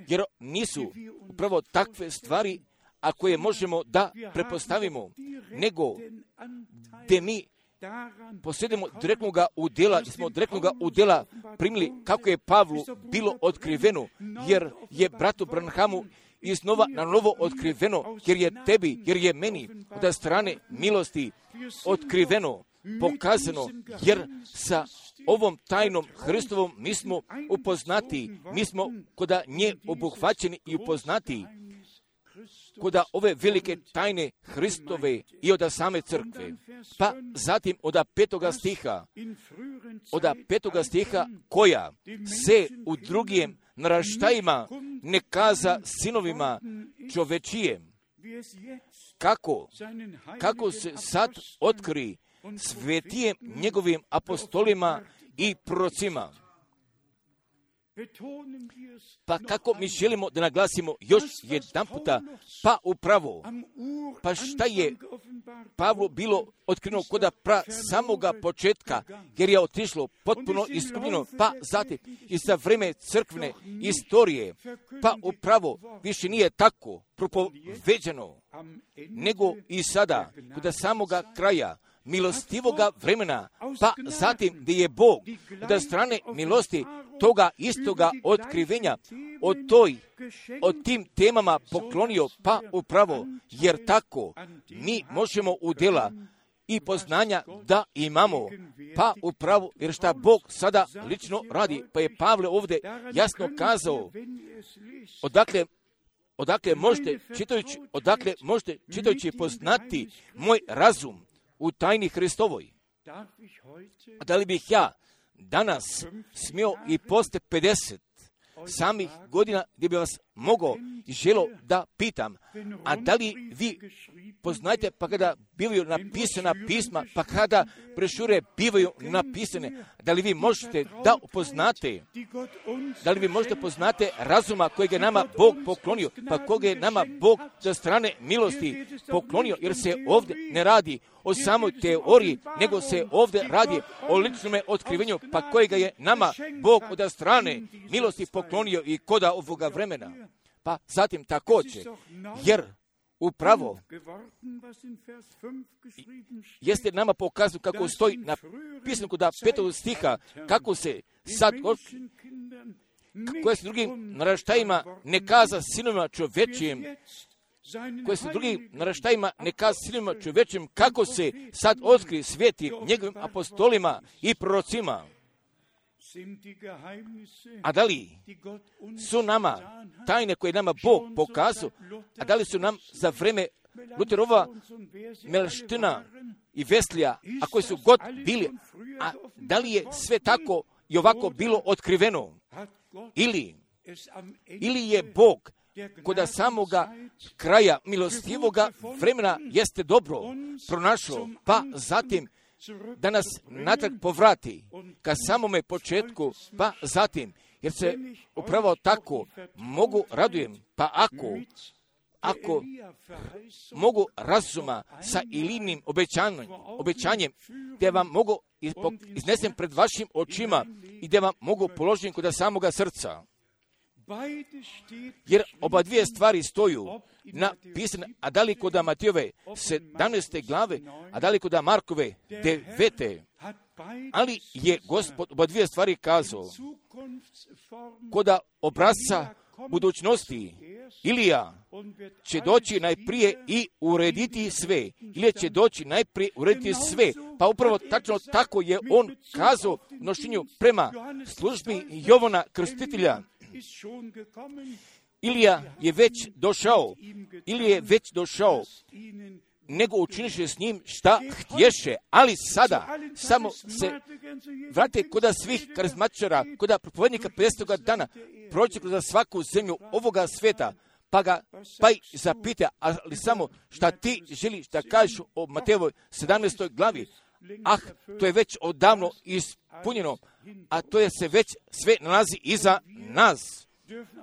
Jer nisu upravo takve stvari, a koje možemo da prepostavimo, nego gdje mi posjedimo direktnoga udjela, gdje smo direktnoga udjela primili kako je Pavlu bilo otkriveno, jer je bratu Branhamu iznova na novo otkriveno, jer je tebi, jer je meni od strane milosti otkriveno, pokazano, jer sa ovom tajnom Hristovom mi smo upoznati, mi smo koda nje obuhvaćeni i upoznati, koda ove velike tajne Hristove i od same crkve. Pa zatim od petoga stiha, od petoga stiha, koja se u drugim naraštajima ne kaza sinovima čovečijem, kako, kako se sad otkri svetijem njegovim apostolima i prorocima. Pa kako mi želimo da naglasimo još jedan puta, pa upravo, pa šta je Pavlu bilo otkriveno koda pra samoga početka, jer je otišlo potpuno iskupljeno, pa zatim i za vreme crkvene istorije, pa upravo više nije tako propoveđeno, nego i sada, koda samoga kraja, milostivoga vremena, pa zatim gdje je Bog od strane milosti toga istoga otkrivenja o toj, o tim temama poklonio, pa upravo, jer tako mi možemo udjela i poznanja da imamo, pa upravo, jer šta Bog sada lično radi, pa je Pavle ovdje jasno kazao, odakle odakle možete čitajući, odakle možete čitajući poznati moj razum u tajni Hristovoj. Da li bih ja danas smio i poslije pedeset samih godina gdje bi vas mogao i želo da pitam, a da li vi poznajete pa kada bivaju napisana pisma, pa kada brošure bivaju napisane, da li vi možete da upoznate, da li vi možete poznate razuma kojeg je nama Bog poklonio, pa koga je nama Bog za strane milosti poklonio, jer se ovdje ne radi o samoj teoriji, nego se ovdje radi o ličnome otkrivenju, pa kojega je nama Bog od strane milosti poklonio i koda ovoga vremena. Pa zatim također, jer upravo jeste nama pokazano kako stoji napisano kod petog stiha, kako se sad koje se drugim naraštajima ne kaza sinovima čovečijem, koje se drugim naraštajima ne kaza sinovima čovečijem, kako se sad otkri sveti njegovim apostolima i prorocima. A da li su nama tajne koje nama Bog pokazao, a da li su nam za vreme Luterova, Melština i Veslija, a koji su god bili, a da li je sve tako i ovako bilo otkriveno? Ili, ili je Bog kod samoga kraja milostivoga vremena jeste dobro pronašao, pa zatim da nas natrag povrati ka samome početku, pa zatim, jer se upravo tako mogu radujem, pa ako ako mogu razuma sa Ilinim obećanjem, obećanjem gdje vam mogu iznesem pred vašim očima i gdje vam mogu položiti kod samoga srca. Jer oba dvije stvari stoju napisane, a da li kod Matijove sedamnaeste glave, a da li kod Markove devete. Ali je Gospod oba dvije stvari kazao. Kod obrazca budućnosti Ilija će doći najprije i urediti sve. Ilija će doći najprije urediti sve. Pa upravo tačno tako je on kazao u nošenju prema službi Jovana Krstitelja. Ilija je već došao, Ilija je već došao, nego učiniše s njim šta htješe, ali sada samo se vrate kod svih karizmatičara, kod propovednika pedesetog dana, proći kroz svaku zemlju ovoga sveta, pa ga pa i zapita, ali samo šta ti želiš da kažeš o Matejevoj sedamnaestoj glavi. Ah, to je već odavno ispunjeno, a to je se već sve nalazi iza nas.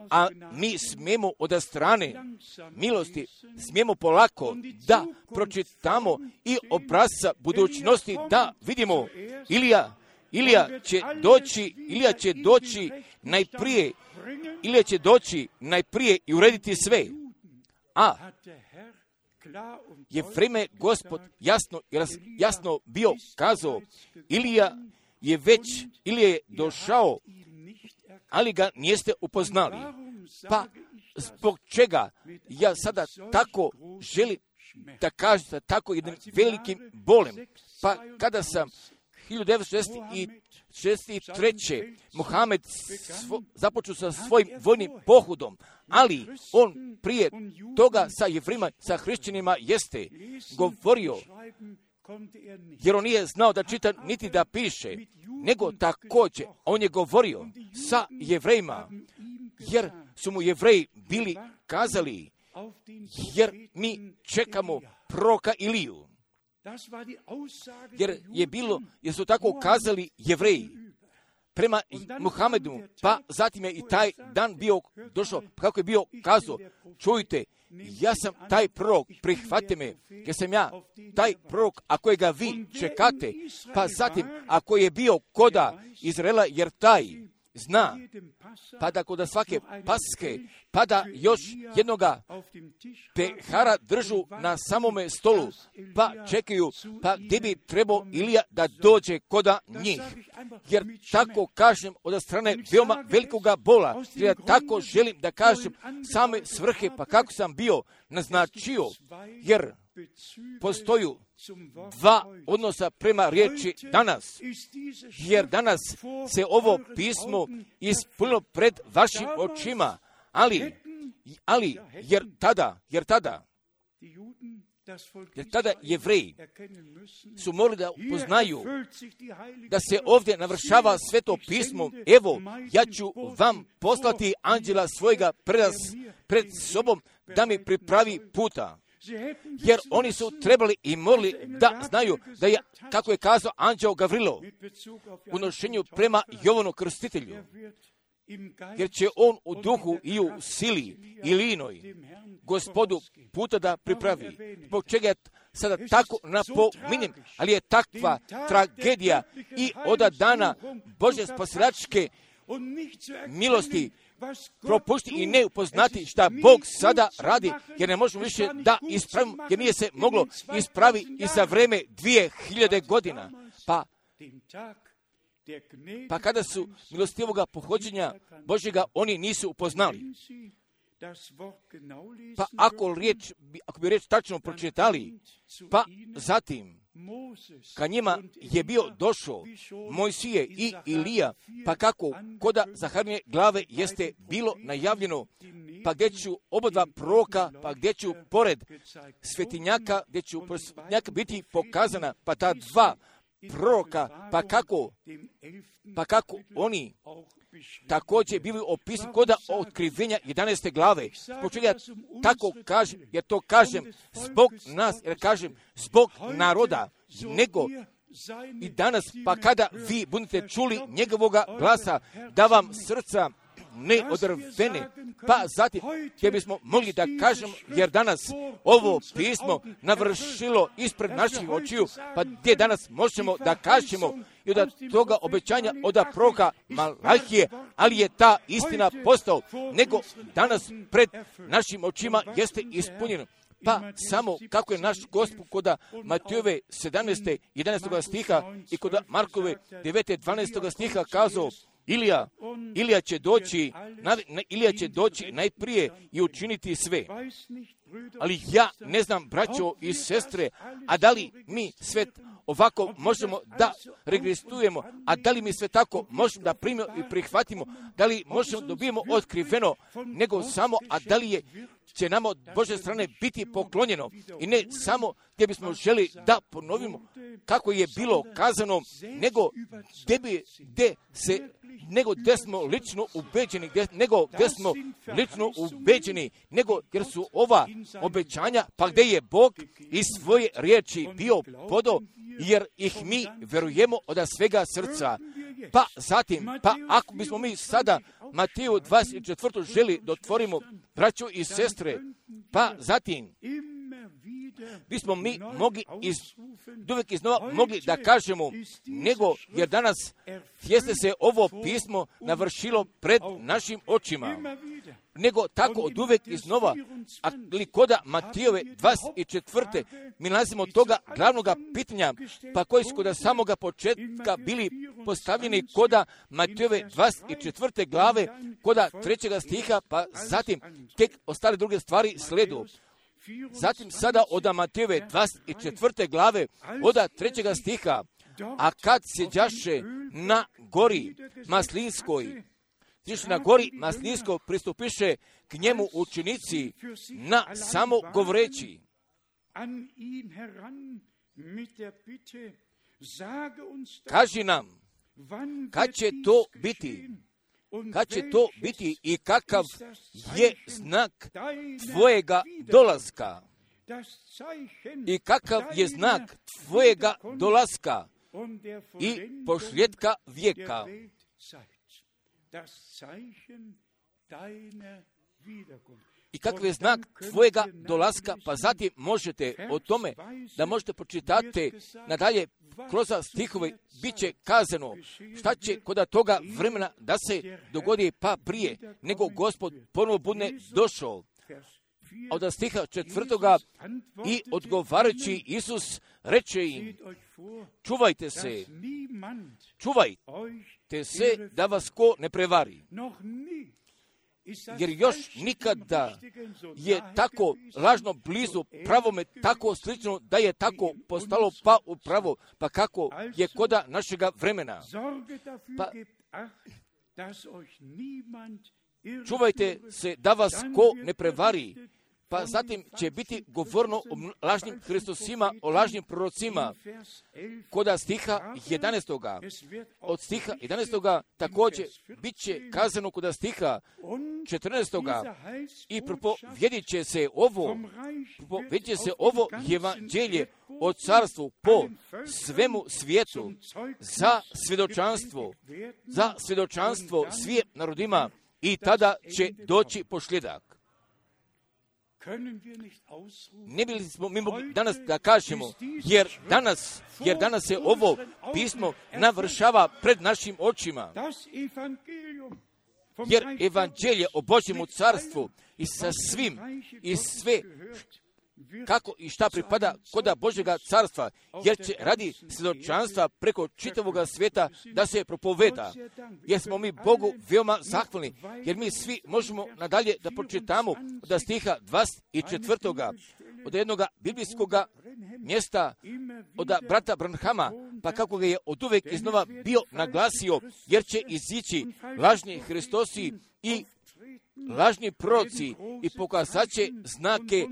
A mi smijemo od strane milosti, smijemo polako da pročitamo i obrazca budućnosti, da vidimo Ilija, Ilija će doći, Ilija će doći najprije, Ilija će doći najprije i urediti sve. A je vreme Gospod jasno, jasno bio kazao, Ilija je već, Ilija je došao, ali ga niste upoznali. Pa zbog čega ja sada tako želim da kažem sa tako jednim velikim bolem? Pa kada sam hiljadu devetsto šezdeset treće Muhamed svo, započeo sa svojim vojnim pohodom, ali on prije toga sa Jevrima, sa hrišćanima jeste govorio, jer on nije znao da čita niti da piše, nego također on je govorio sa Jevrejima, jer su mu Jevreji bili kazali, jer mi čekamo proroka Iliju. Jer je bilo, jer su tako kazali Jevreji prema Muhamedu, pa zatim je i taj dan bio došao, kako je bio kazao, čujte, ja sam taj prorok, prihvatite me, jer sam ja taj prorok, a kojega vi čekate, pa zatim, ako je bio koda Izraela, jer taj zna, pa da kod svake paske, pa da još jednoga pehara držu na samome stolu, pa čekaju, pa gdje bi trebao Ilija da dođe koda njih. Jer tako kažem od strane veoma velikoga bola, jer tako želim da kažem same svrhe, pa kako sam bio naznačio, jer postoju dva odnosa prema riječi danas, jer danas se ovo pismo ispunilo pred vašim očima, ali, ali jer tada, jer tada, jer tada Jevreji su morali da upoznaju da se ovdje navršava sveto pismo. Evo, ja ću vam poslati anđela svojega pred, pred sobom da mi pripravi puta. Jer oni su trebali i morali da znaju da je, kako je kazao anđeo Gavrilo, u nošenju prema Jovanu Krstitelju, jer će on u duhu i u sili Ilinoj Gospodu puta da pripravi. Zbog čega je sada tako napominjem, ali je takva tragedija i od dana Bože spasilačke milosti propušti i ne upoznati šta Bog sada radi, jer ne možemo više da ispravimo, jer nije se moglo ispravi i za vreme dvije hiljade godina. Pa, pa kada su milostivoga pohođenja Božjega oni nisu upoznali. Pa ako, riječ, ako bi riječ tačno pročitali, pa zatim, ka njima je bio došao Mojsije i Ilija, pa kako koda Zaharine glave jeste bilo najavljeno, pa gdje ću oba dva proroka, pa gdje ću pored svetinjaka, gdje ću svetinjaka biti pokazana, pa ta dva proroka, pa kako, pa kako oni također bili opisani koda otkrivenja jedanaeste glave. Zbog ja tako kažem, jer to kažem zbog nas, jer kažem zbog naroda, nego i danas, pa kada vi budete čuli njegovoga glasa, da vam srca ne odrvene, pa zatim gdje bismo mogli da kažemo, jer danas ovo pismo navršilo ispred naših očiju, pa gdje danas možemo da kažemo i od toga obećanja od proroka Malahije, ali je ta istina postao, nego danas pred našim očima jeste ispunjeno. Pa samo kako je naš Gospod koda Matejove sedamnaeste jedanaestog stiha i koda Markove devete dvanaestog stiha kazao, Ilija, Ilija će doći, Ilija će doći najprije i učiniti sve. Ali ja ne znam, braćo i sestre, a da li mi sve ovako možemo da registrujemo, a da li mi sve tako možemo da primimo i prihvatimo, da li možemo dobijemo otkriveno, nego samo, a da li je će nam od Božje strane biti poklonjeno i ne samo gdje bismo želi da ponovimo kako je bilo kazano, nego gdje bi, gdje se, nego gdje smo lično ubeđeni, gdje, nego gdje smo lično ubeđeni, nego jer su ova obećanja, pa gdje je Bog iz svoje riječi bio podao, jer ih mi verujemo od svega srca. Pa zatim, pa ako bismo mi sada Mateju dvadeset četvrtu želi da otvorimo, braćo i sestre, pa zatim bismo mi mogli iz, uvijek iznova mogli da kažemo, nego jer danas jeste se ovo pismo navršilo pred našim očima, nego tako od uvijek iznova, ali koda Matejove dvadeset četvrte mi nalazimo toga glavnog pitanja, pa koji su koda samoga početka bili postavljeni koda Matejove dvadeset četvrte glave, koda trećega stiha, pa zatim tek ostale druge stvari sledu. Zatim sada od Matejove dvadeset četvrte glave, od trećega stiha, a kad sjeđaše na gori Maslinskoj, Tiš na gori Maslinskoj pristupiše k njemu učenici na samo govoreći. Kaži nam, kad će to biti? Kad će to biti i kakav je znak tvojega dolaska? I kakav je znak tvojega dolaska i pošljetka vijeka? I kakav je znak tvojega dolaska, pa zatim možete o tome da možete pročitati nadalje kroz stihove, bit će kazano šta će kod toga vremena da se dogodi pa prije, nego Gospod ponovo bude došao. A od stiha četvrtoga i odgovarajući Isus reče im, čuvajte se, čuvajte se da vas ko ne prevari. Jer još nikada je tako lažno blizu pravome, tako slično da je tako postalo pa upravo, pa kako je koda našega vremena. Pa, čuvajte se da vas ko ne prevari. Pa zatim će biti govorno o lažnim Hristusima, o lažnim prorocima. Koda stiha jedanaestoga. Od stiha jedanaestoga također bit će kazano koda stiha četrnaestoga. I propovjedit će se ovo, propovjedit će se ovo evanđelje o carstvu po svemu svijetu za svjedočanstvo, za svjedočanstvo svim narodima i tada će doći pošljedak. Ne bili smo mi mogli danas da kažemo, jer danas, jer danas se ovo pismo navršava pred našim očima. Jer evanđelje o Božjemu carstvu i sa svim i sve kako i šta pripada koda Božjega carstva, jer će radi svjedočanstva preko čitavoga svijeta da se propoveda. Jer smo mi Bogu veoma zahvalni, jer mi svi možemo nadalje da pročitamo od stiha dvadeset četvrtoga od jednog biblijskog mjesta od brata Branhama, pa kako ga je od uvek iznova bio naglasio, jer će izići lažni Hristosi i lažni proroci i pokazat će znake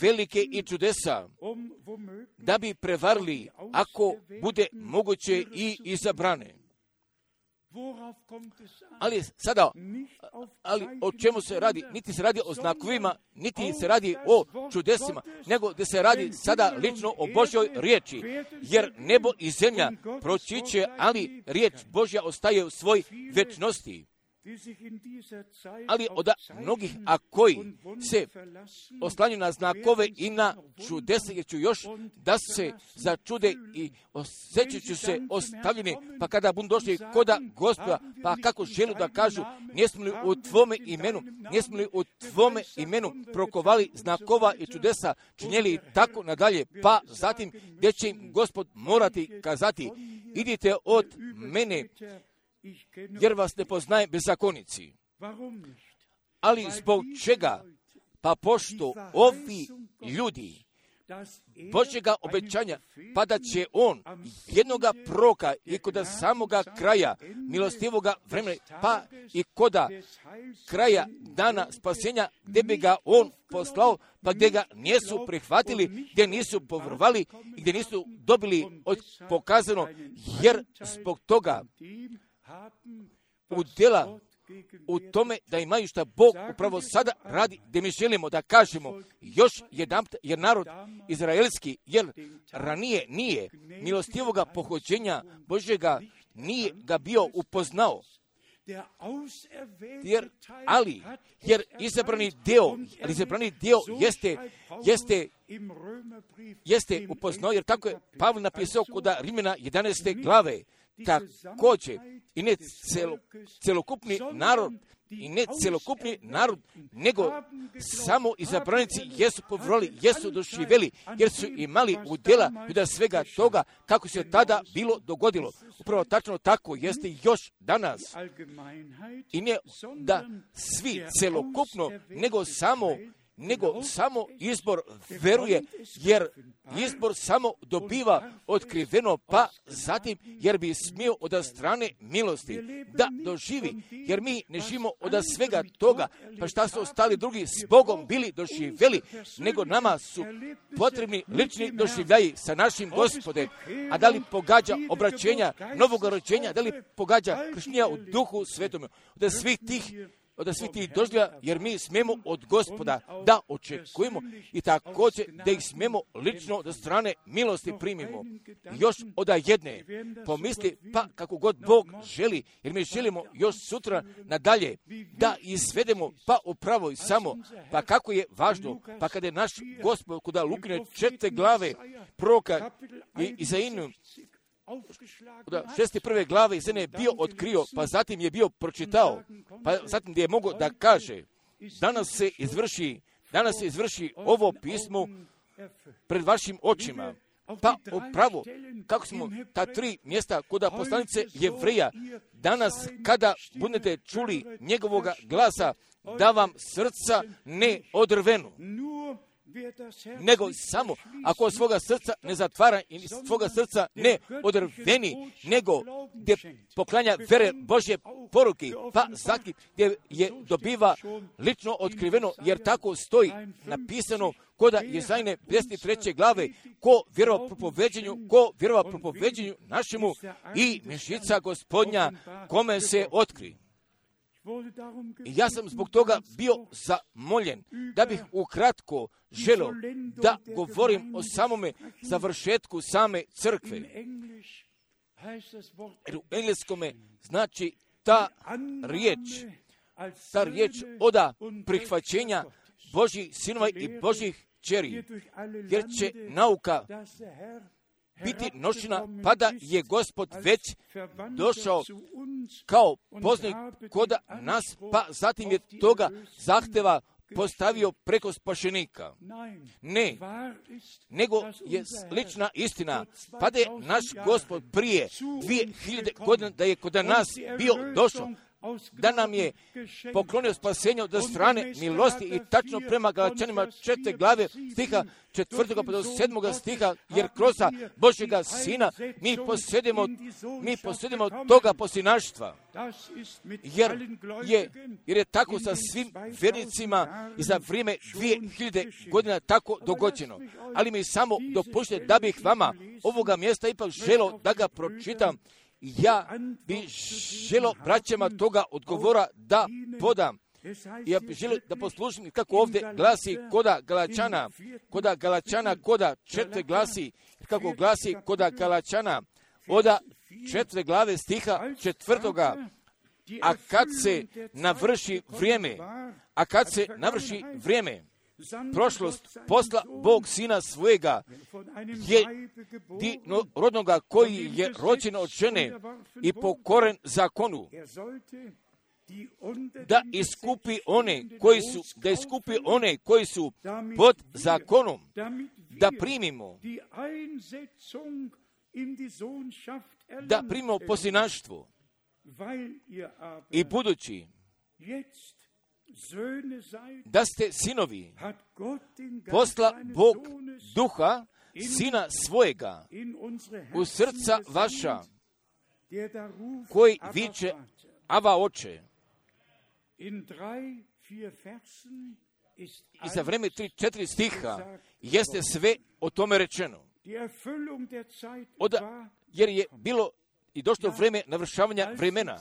velike i čudesa, da bi prevarili, ako bude moguće, i izabrane. Ali sada, ali o čemu se radi? Niti se radi o znakovima, niti se radi o čudesima, nego da se radi sada lično o Božjoj riječi, jer nebo i zemlja proći će, ali riječ Božja ostaje u svoj večnosti. Ali od mnogih, a koji se oslanjaju na znakove i na čudesa, jer ću još da se začude i osjećat ću se ostavljeni, pa kada budu došli koda Gospoda, pa kako žele da kažu, nismo li u tvome imenu, nismo li u tvome imenu prokovali znakova i čudesa, činjeli tako nadalje, pa zatim gdje će im Gospod morati kazati, idite od mene, jer vas ne poznajem bezakonici. Ali zbog čega? Pa pošto ovi ljudi Božjega obećanja, pa da će on jednoga proka i koda samoga kraja milostivoga vremena, pa i koda kraja dana spasenja, gdje bi ga on poslao, pa gdje ga nisu prihvatili, gdje nisu povrovali i gdje nisu dobili od pokazano, jer zbog toga udjela u tome da imaju šta Bog upravo sada radi, gdje mi želimo da kažemo još jedan, jer narod izraelski, jer ranije nije milostivoga pohođenja Božjega, nije ga bio upoznao. Jer, ali, jer izabrani dio, ali izabrani dio jeste, jeste, jeste upoznao, jer tako je Pavle napisao kod Rimljana jedanaeste glave, također i ne celo, celokupni narod, i ne celokupni narod, nego samo izabranici jesu povjerili, jesu doživjeli, jer su imali udjela da svega toga kako se tada bilo dogodilo. Upravo tačno tako jeste još danas. I ne da svi celokupno, nego samo nego samo izbor veruje, jer izbor samo dobiva otkriveno, pa zatim jer bi smio od strane milosti da doživi, jer mi ne živimo od svega toga, pa šta su ostali drugi s Bogom bili doživjeli, nego nama su potrebni lični doživljaji sa našim Gospodem. A da li pogađa obraćenja, novog rođenja, da li pogađa krštenja u Duhu Svetome, od svih tih od svih tih doživljaja, jer mi smemo od Gospoda da očekujemo i također da ih smemo lično od strane milosti primimo. Još od jedne pomisli, pa kako god Bog želi, jer mi želimo još sutra nadalje da izvedemo, pa upravo i samo, pa kako je važno, pa kada je naš Gospod kod Lukine četvrte glave proroka i Izainu, da šeste prve glave iz je bio otkrio, pa zatim je bio pročitao, pa zatim gdje je mogao da kaže, danas se izvrši, danas se izvrši ovo pismo pred vašim očima. Pa upravo, kako smo ta tri mjesta kod poslanice Jevreja, danas kada budete čuli njegovoga glasa, da vam srca ne odrvenu, nego samo ako svoga srca ne zatvara i svoga srca ne odrveni, nego gdje poklanja vere Božje poruke, pa zatim gdje je dobiva lično otkriveno, jer tako stoji napisano koda Jezajne pedeset treće glave, ko vjerova propoveđenju, ko vjerova propoveđenju našemu i mešica Gospodnja kome se otkri. I ja sam zbog toga bio zamoljen da bih ukratko želio da govorim o samome završetku same crkve. Jer u engleskome znači ta riječ, ta riječ oda prihvaćenja Božjih sinova i Božjih kćeri, jer će nauka biti nošena, pa da je Gospod već došao kao poznanik kod nas, pa zatim je toga zahteva postavio preko spašenika. Ne, nego je lična istina. Pa da je naš Gospod prije dvije hiljade godina da je kod nas bio došao, da nam je poklonio spasenje od strane milosti i tačno prema Galačanima četvrte glave stiha četvrtoga pa do sedmoga stiha, jer kroz Božjega Sina mi posjedimo, mi posjedimo toga posinaštva. Jer je, jer je tako sa svim vjernicima i za vrijeme dvije hiljade godina tako dogođeno. Ali mi samo dopušte da bih vama ovoga mjesta ipak želio da ga pročitam. Ja bih želio braćama toga odgovora da podam. Ja bih želio da poslušam kako ovdje glasi koda Galačana, koda Galačana, koda četvrte glasi, kako glasi koda Galačana, oda četvrte glave stiha četvrtoga. A kad se navrši vrijeme, a kad se navrši vrijeme, prošlost posla Bog Sina svojega jedinorodnoga koji je rođen od žene i pokoren zakonu, da iskupi one koji su, da iskupi one koji su pod zakonom, da primimo, da primimo posinaštvo. I budući da ste sinovi, posla Bog duha Sina svojega u srca vaša, koji viče Ava oče. I za vreme tri četiri stiha jeste sve o tome rečeno. Oda, jer je bilo i došlo vrijeme navršavanja vremena,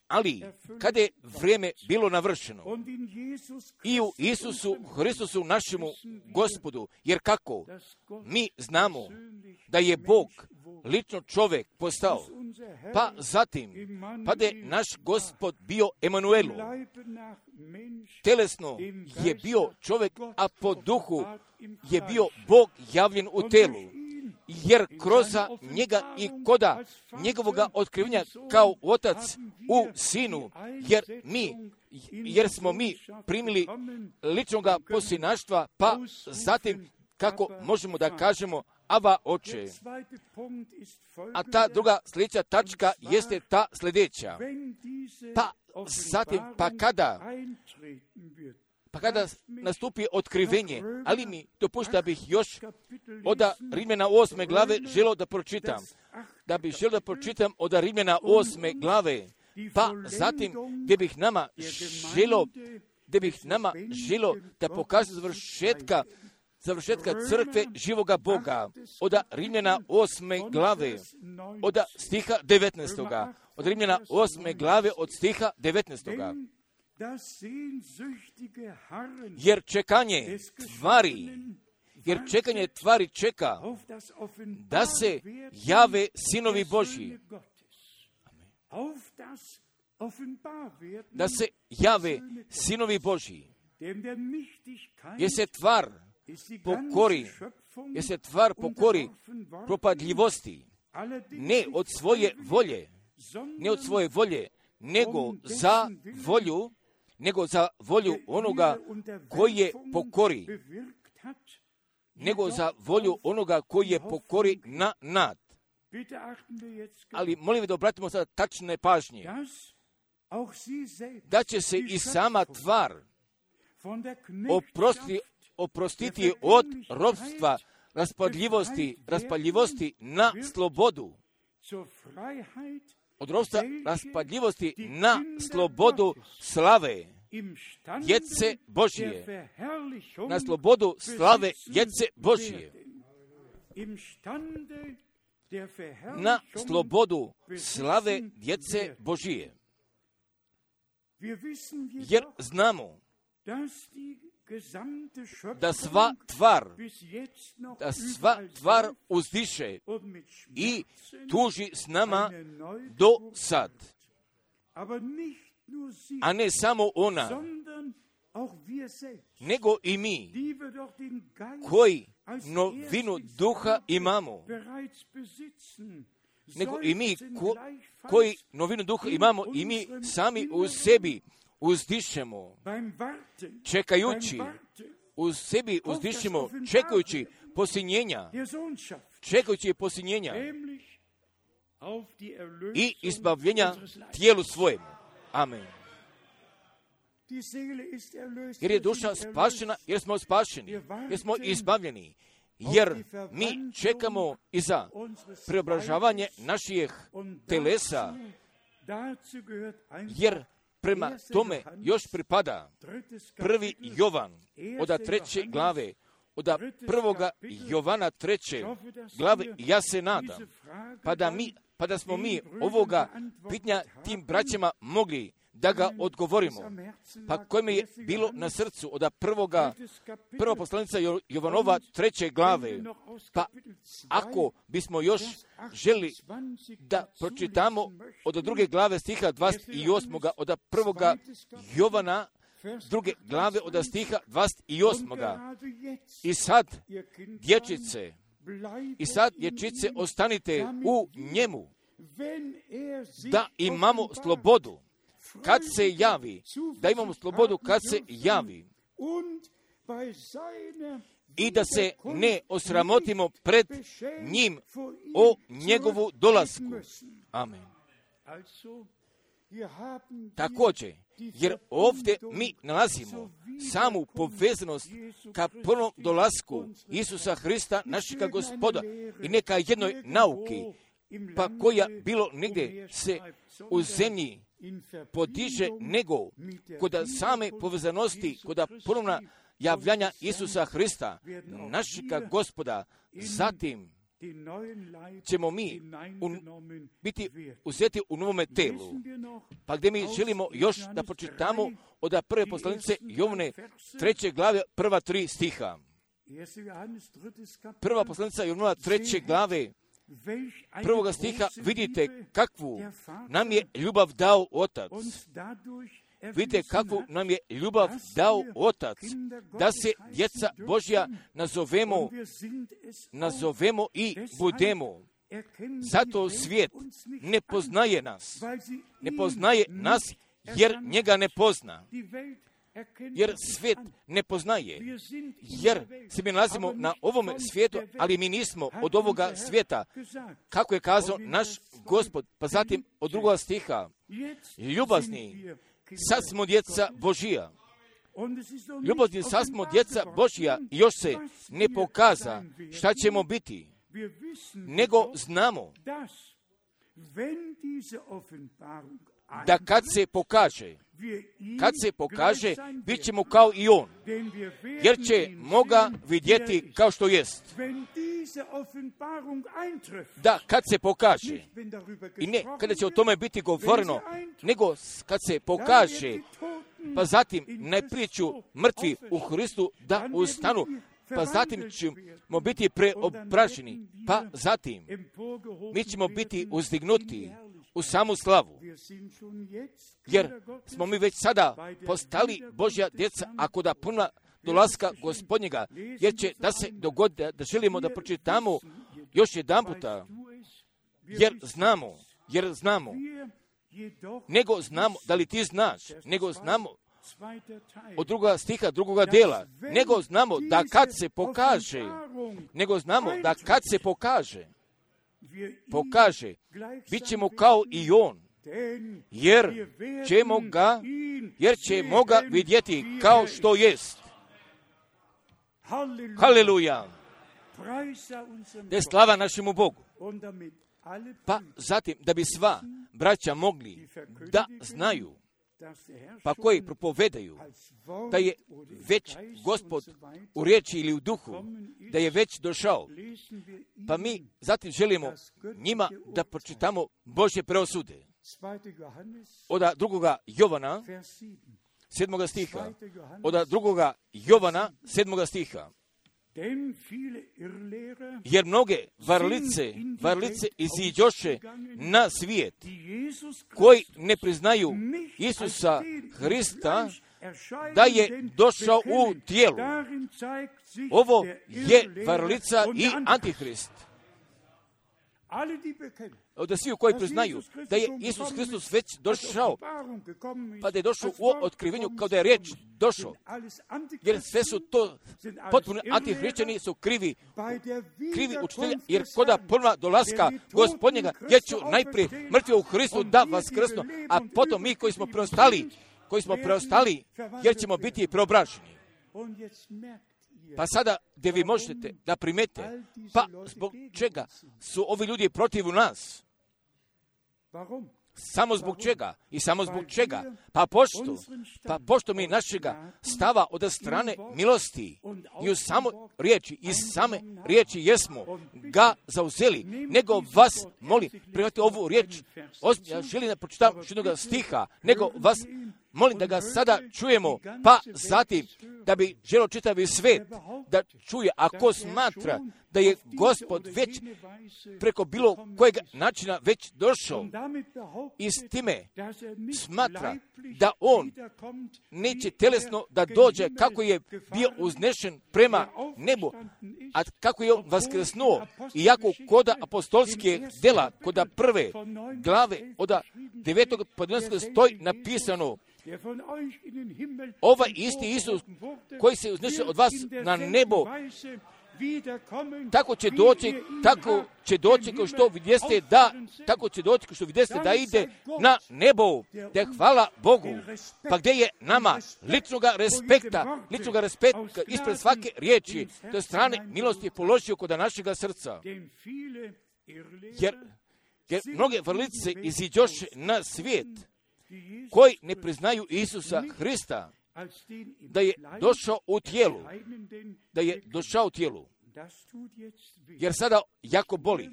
ali kada je vrijeme bilo navršeno i u Isusu Hristusu našemu Gospodu, jer kako mi znamo da je Bog lično čovjek postao, pa zatim, pa da je naš Gospod bio Emanuelu, telesno je bio čovjek, a po duhu je bio Bog javljen u telu. Jer kroz njega i koda njegovoga otkrivenja kao otac u sinu, jer mi, jer smo mi primili ličnoga posinaštva, pa zatim kako možemo da kažemo Ava oče. A ta druga sljedeća tačka jeste ta sljedeća. Pa zatim, pa kada, pa kada nastupi otkrivenje, ali mi dopušta da bih još od Rimljana osme glave želio da pročitam. Da bih želio da pročitam od Rimljana osme glave, pa zatim gdje bih nama želio, gdje bih nama želio da pokaže završetka, završetka crkve živoga Boga. Od Rimljana osme glave, od stiha devetnaestoga. Od Rimljana osme glave, od stiha devetnaestoga. Jer čekanje tvari, jer čekanje tvari čeka da se jave sinovi Božji. Da se jave sinovi Božji. Jer se tvar pokori, jer se tvar pokori propadljivosti, ne od svoje volje, ne od svoje volje, nego za volju, nego za volju onoga koji je pokori, nego za volju onoga koji je pokori na nad. Ali molim da obratimo sada tačne pažnje, da će se i sama tvar oprostiti, oprostiti od ropstva, raspadljivosti, raspaljivosti na slobodu. Od ropstva raspadljivosti na slobodu slave djece Božije. Na slobodu slave djece Božije. Na slobodu slave djece Božije. Jer znamo da sva tvar, da sva tvar uzdiše i tuži s nama do sad. A ne samo ona, nego i mi, koji novinu duha imamo. Nego i mi ko, koji novinu duha imamo i mi sami u sebi uzdišemo, čekajući, u sebi uzdišemo, čekajući posinjenja, čekajući posinjenja i izbavljenja tijelu svojemu. Amen. Jer je duša spašena, jer smo spašeni, jer smo izbavljeni, jer mi čekamo i za preobražavanje naših telesa, jer prema tome još pripada prvi Jovan od treće glave, od prvoga Jovana treće glave. Ja se nadam, pa da, mi, pa da smo mi ovoga pitanja tim braćama mogli da ga odgovorimo, pa kojima je bilo na srcu od prvoga, prva poslanica Jovanova treće glave, pa ako bismo još želi da pročitamo od druge glave stiha dvadeset osam. od prvoga Jovana druge glave od stiha dvadeset osam. I sad, dječice, i sad, dječice, ostanite u njemu, da imamo slobodu kad se javi, da imamo slobodu kad se javi i da se ne osramotimo pred njim o njegovu dolasku. Amen. Također, jer ovdje mi nalazimo samu povezanost ka prvom dolasku Isusa Hrista, našega Gospoda, i neka jednoj nauki, pa koja bilo negdje se u zemlji podiže, nego kod same povezanosti, kod ponovna javljanja Isusa Hrista, našega Gospoda. Zatim ćemo mi un, biti uzeti u novome telu. Pa gdje mi želimo još da pročitamo od prve poslanice Jovane treće glave prva tri stiha. Prva poslanica Jovana treće glave prvoga stiha, vidite kakvu nam je ljubav dao Otac. Vidite kakvu nam je ljubav dao Otac, da se djeca Božja nazovemo, nazovemo i budemo. Zato svijet ne poznaje nas. Ne poznaje nas jer njega ne pozna. Jer svijet ne poznaje, jer se mi nalazimo na ovome svijetu, ali mi nismo od ovoga svijeta, kako je kazao naš Gospod. Pa zatim od drugog stiha, ljubazni, sad smo djeca Božija. Ljubazni, sad smo djeca Božija i još se ne pokaza šta ćemo biti, nego znamo da kad se pokaže, kad se pokaže, bit ćemo kao i on, jer ćemo ga vidjeti kao što jest. Da, kad se pokaže, i ne kada će o tome biti govoreno, nego kad se pokaže, pa zatim najprije ću mrtvi u Hristu da ustanu, pa zatim ćemo biti preobraženi, pa zatim mi ćemo biti uzdignuti u samu slavu, jer smo mi već sada postali Božja djeca, ako da puna dolaska Gospodnjega, jer će da se dogodi, da želimo da pročitamo još jedan puta, jer znamo, jer znamo, nego znamo, da li ti znaš, nego znamo od druga stiha, drugoga dela, nego znamo da kad se pokaže, nego znamo da kad se pokaže, pokaže, bit ćemo kao i on, jer ćemo ga, jer ćemo ga vidjeti kao što jest. Haleluja! Da je slava našemu Bogu. Pa zatim, da bi sva braća mogli da znaju, pa koji propovedaju da je već Gospod u riječi ili u duhu, da je već došao, pa mi zatim želimo njima da pročitamo Božje preosude. Od drugoga Jovana, sedmoga stiha, od drugoga Jovana, sedmoga stiha. Jer mnoge varlice, varlice iziđoše na svijet, koji ne priznaju Isusa Hrista, da je došao u tijelu. Ovo je varlica i antihrist. da svi koji priznaju da je Isus Hristos već došao, pa da je došao u otkrivenju kao da je riječ došao, jer sve su to potpuno antihrišćani, su krivi, krivi učitelji, jer koda prva dolaska Gospodnjega, jer ću najprije mrtvi u Hristu da vaskrsnu, a potom mi koji smo preostali, koji smo preostali, jer ćemo biti preobraženi. Pa sada gdje vi možete da primete, pa zbog čega su ovi ljudi protiv nas? Samo zbog čega? I samo zbog čega? Pa pošto, pa pošto mi našega stava od strane milosti i u samo riječi, iz same riječi jesmo ga zauzeli, nego vas molim, prihvatite ovu riječ, ja želim da pročitam jednog stiha, nego vas molim da ga sada čujemo, pa zatim da bi želio čitavi svijet da čuje, ako smatra da je Gospod već preko bilo kojeg načina već došao i s time smatra da on neće telesno da dođe kako je bio uznešen prema nebu, a kako je on vaskrsnuo, iako koda apostolske dela, koda prve glave od devetog podneska stoji napisano, ovaj isti Isus koji se uzneše od vas na nebo, tako će doći, tako će doći kao što vidjeste da, tako će doći kao što vidjeste da ide na nebo, da hvala Bogu. Pa gdje je nama ličnoga respekta, ličnoga respekta ispred svake riječi, to je strane milosti položio kod našega srca. Jer, jer mnoge vrlice iziđoše na svijet koji ne priznaju Isusa Hrista, da je došao u tijelu, da je došao u tijelu, jer sada jako boli,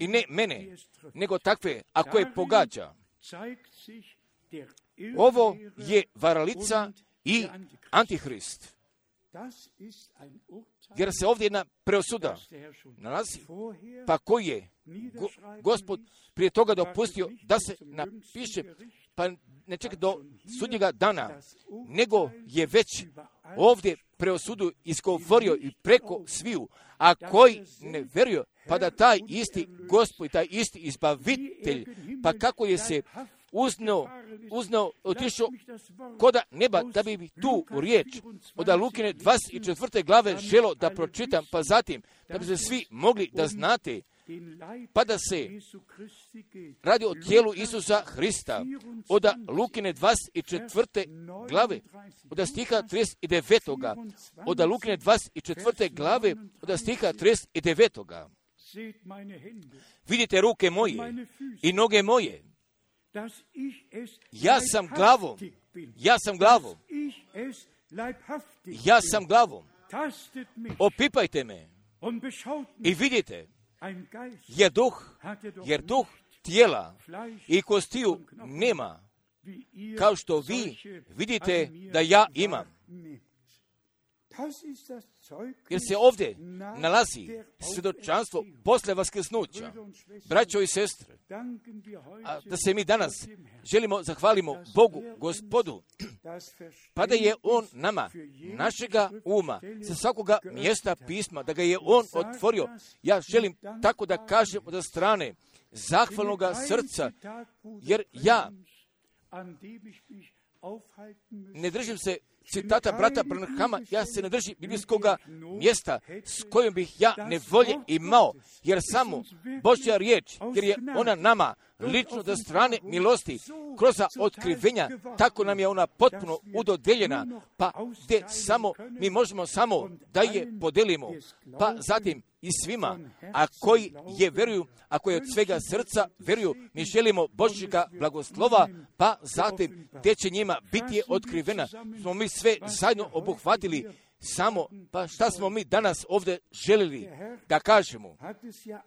i ne mene, nego takve, a koje pogađa. Ovo je varalica i antihrist, jer se ovdje jedna preosuda nalazi, pa koji je go, Gospod prije toga dopustio da se napiše, pa ne čeka do sudnjega dana, nego je već ovdje preosudu izgovorio i preko sviju, a koji ne vjeruju, pa da taj isti Gospod, taj isti izbavitelj, pa kako je se uznao, uznao, otišao koda neba, da bi tu riječ od Lukine dvadeset četvrte glave želo da pročitam, pa zatim da bi se svi mogli da znate, pa da se radi o tijelu Isusa Hrista, od Lukine dvadeset četvrte glave, od stiha trideset devet. Od Lukine dvadeset četvrte glave, od stiha trideset devet. Vidite ruke moje i noge moje. Ja sam glavom, ja sam glavom, ja sam glavom. Opipajte me i vidite, jer duh, jer duh tijela i kostiju nema, kao što vi vidite da ja imam. Jer se ovdje nalazi svjedočanstvo posle vaskrsnuća. Braćo i sestre, a da se mi danas želimo zahvalimo Bogu, Gospodu, pa da je On nama, našega uma, sa svakoga mjesta pisma, da ga je On otvorio. Ja želim tako da kažem od strane zahvalnoga srca, jer ja ne držim se citata brata Branhama, ja se ne držim biblijskog mjesta s kojim bih ja nevolje imao, jer samo Božja riječ, jer je ona nama lično do strane milosti, kroz otkrivenja, tako nam je ona potpuno udodeljena, pa gdje samo mi možemo samo da je podelimo, pa zatim i svima, a koji je vjeruju, a koji od svega srca vjeruju, mi želimo Božjega blagoslova, pa zatim gdje će njima biti otkrivena, smo mi sve zajedno obuhvatili, samo, pa šta smo mi danas ovdje želili da kažemo,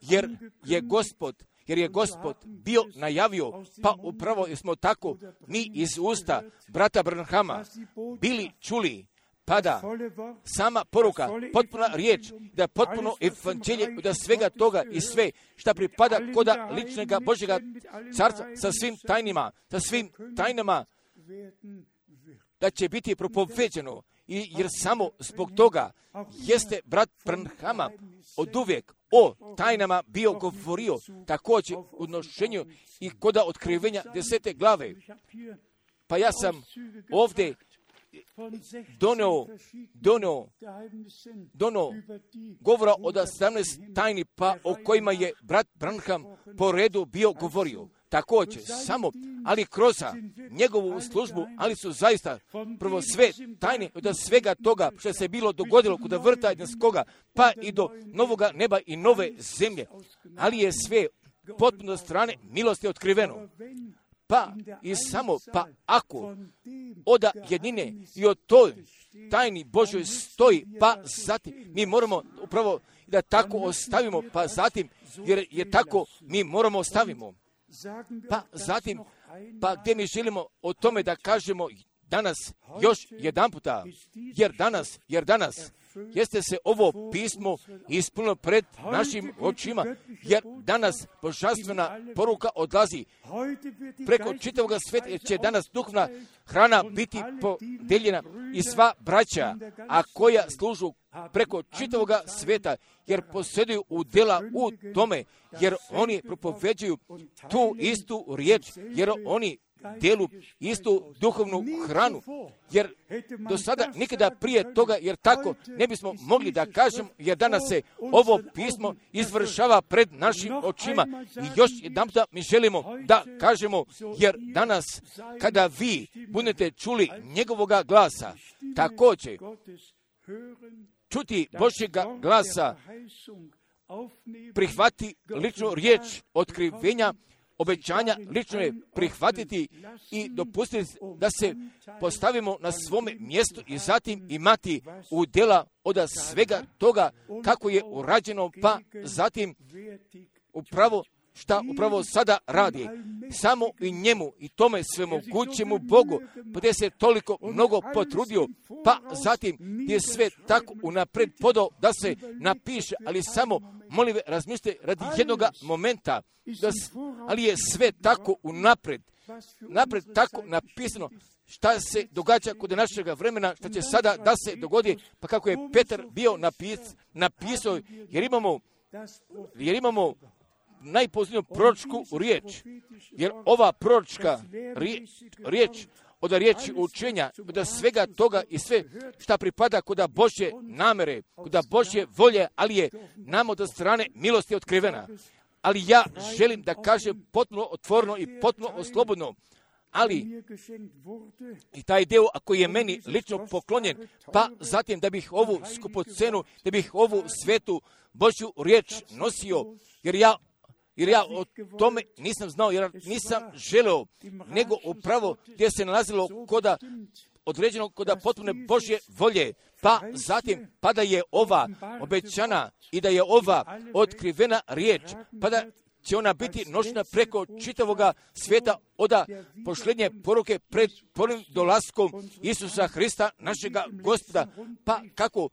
jer je Gospod, jer je Gospod bio najavio, pa upravo smo tako mi iz usta brata Branhama bili čuli, pa da sama poruka, potpuna riječ, da potpuno evanđelje, da svega toga i sve šta pripada koda ličnega Božjega carstva sa svim tajnima, sa svim tajnama, da će biti propoveđeno, i jer samo zbog toga jeste brat Branhama od uvijek o tajnama bio govorio, također u nošenju i koda otkrivenja desete glave. Pa ja sam ovdje donio, donio, donio govora od sedamnaest tajni, pa o kojima je brat Branham po redu bio govorio. Također, samo, ali kroz njegovu službu, ali su zaista prvo sve tajne od svega toga što se bilo dogodilo kod vrta Edenskoga, pa i do novoga neba i nove zemlje. Ali je sve potpuno strane milosti otkriveno. Pa i samo, pa ako oda jedine i o toj tajni Božoj stoji, pa zatim mi moramo upravo da tako ostavimo, pa zatim, jer je tako mi moramo ostavimo. Pa zatim, pa gdje mi želimo o tome da kažemo danas još jedan puta, jer danas, jer danas, jeste se ovo pismo ispunilo pred našim očima, jer danas božanstvena poruka odlazi preko čitavog sveta, jer će danas duhovna hrana biti podeljena i sva braća, a koja služu preko čitavog sveta, jer posjeduju udjela u tome, jer oni propoveđuju tu istu riječ, jer oni dijelu istu duhovnu hranu, jer do sada nikada prije toga, jer tako ne bismo mogli da kažemo, jer danas se ovo pismo izvršava pred našim očima i još jedan puta mi želimo da kažemo, jer danas kada vi budete čuli njegovoga glasa, također čuti Božjega glasa, prihvati ličnu riječ otkrivenja, obećanja, lično je prihvatiti i dopustiti da se postavimo na svome mjestu i zatim imati udjela od svega toga kako je urađeno, pa zatim upravo šta upravo sada radi. Samo i njemu i tome svemogućemu Bogu, gdje se toliko mnogo potrudio, pa zatim je sve tako unapred podao da se napiše, ali samo molim ve, razmislite radi jednog momenta, da, ali je sve tako unapred, napred tako napisano, šta se događa kod našega vremena, šta će sada da se dogodi, pa kako je Petar bio napis, napisao, jer imamo, jer imamo najposljednju proročku riječ, jer ova proročka riječ, od riječi učenja, od svega toga i sve šta pripada kod Božje namere, kod Božje volje, ali je nam od strane milosti otkrivena. Ali ja želim da kažem potpuno otvoreno i potpuno oslobodno, ali i taj deo ako je meni lično poklonjen, pa zatim da bih ovu skupocenu, da bih ovu svetu Božju riječ nosio, jer ja Jer ja o tome nisam znao, jer nisam želeo, nego upravo gdje se nalazilo koda određeno koda potpune Božje volje, pa zatim, pa da je ova obećana i da je ova otkrivena riječ, pa da će ona biti nošena preko čitavoga svijeta oda pošlednje poruke pred prvim dolaskom Isusa Hrista, našega Gospoda. Pa kako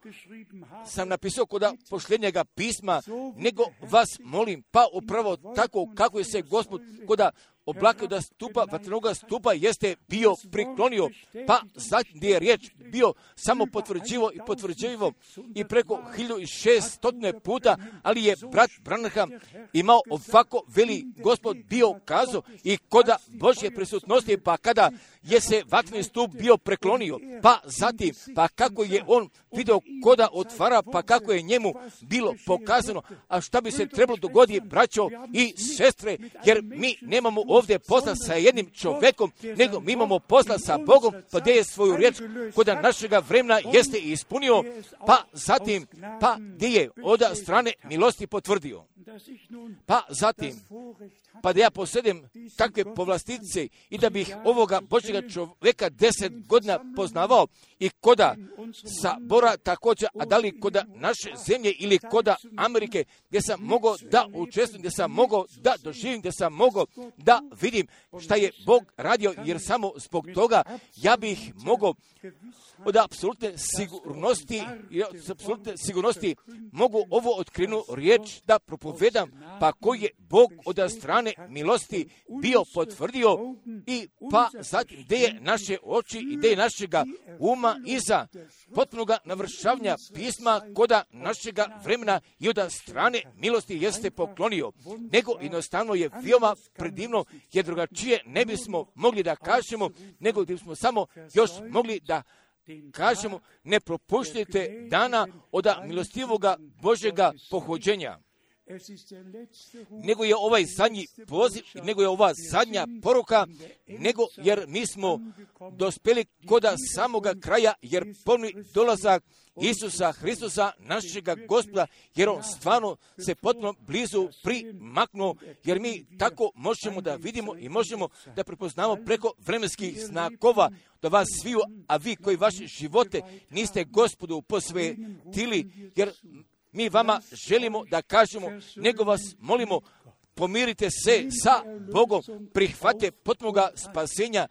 sam napisao koda pošlednjega pisma, nego vas molim, pa upravo tako kako je se Gospod koda oblakao da stupa, vatrenoga stupa jeste bio priklonio, pa zatim gdje je riječ bio samo potvrđivo i potvrđivo i preko hiljadu šesto puta, ali je brat Branham imao ovako veli Gospod bio kazao i koda Božje prisutnosti, pa kada je se vatreni stup bio preklonio, pa zatim, pa kako je on vidio koda otvara, pa kako je njemu bilo pokazano, a šta bi se trebalo dogoditi, braćo i sestre, jer mi nemamo ovdje posla sa jednim čovjekom, nego mi imamo posla sa Bogom, pa gdje je svoju riječ koda našega vremena jeste ispunio, pa zatim, pa gdje je od strane milosti potvrdio. Pa zatim, pa da ja posjedem takve povlastice i da bih ovoga Božjega čovjeka deset godina poznavao i koda sabora također, a da li koda naše zemlje ili koda Amerike, gdje sam mogao da učestvujem, gdje sam mogao da doživim, gdje sam mogao da vidim šta je Bog radio, jer samo zbog toga ja bih mogao od apsolutne sigurnosti, od apsolutne sigurnosti mogu ovo otkrinu riječ da propovedam, pa koji je Bog od strane milosti bio potvrdio i pa zatim gdje je naše oči i gdje je našega uma iza potpunoga navršavanja pisma koda našega vremena i od strane milosti jeste poklonio, nego jednostavno je veoma predivno, jer drugačije ne bismo mogli da kažemo, nego bismo samo još mogli da kažemo, ne propuštajte dana od milostivoga Božjega pohođenja. Nego je ovaj zadnji poziv, nego je ova zadnja poruka, nego jer mi smo dospjeli koda samoga kraja, jer polni dolazak Isusa Hristusa, našega Gospoda, jer on stvarno se potpuno blizu primaknuo, jer mi tako možemo da vidimo i možemo da prepoznamo preko vremenskih znakova da vas sviju, a vi koji vaše živote niste Gospodu posvetili, jer mi vama želimo da kažemo, nego vas molimo, pomirite se sa Bogom, prihvate potpunoga spasenja,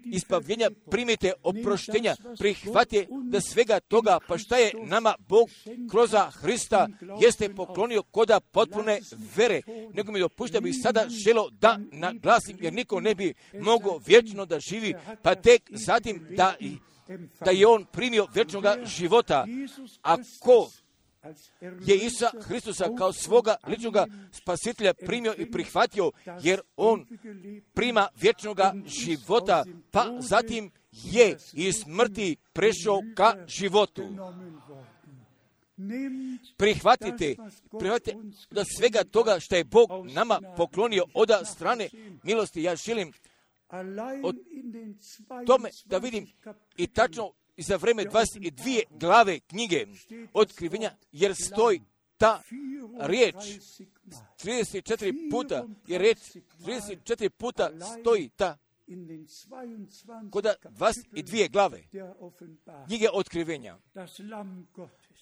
ispavljenja, primite oproštenja, prihvate da svega toga, pa šta je nama Bog kroz Hrista jeste poklonio koda potpune vere, nego mi dopušta bi sada želo da naglasim, jer niko ne bi mogao vječno da živi, pa tek zatim da, da je on primio vječnoga života. Ako je Isusa Hristusa kao svoga ličnoga spasitelja primio i prihvatio, jer on prima vječnoga života, pa zatim je iz smrti prešao ka životu. Prihvatite, prihvatite da svega toga što je Bog nama poklonio od strane milosti. Ja želim o tome da vidim i tačno i za vreme dvadeset dvije glave knjige Otkrivenja, jer stoji ta riječ trideset četiri puta, jer riječ trideset četiri puta stoji ta kod dvadeset dvije glave knjige Otkrivenja.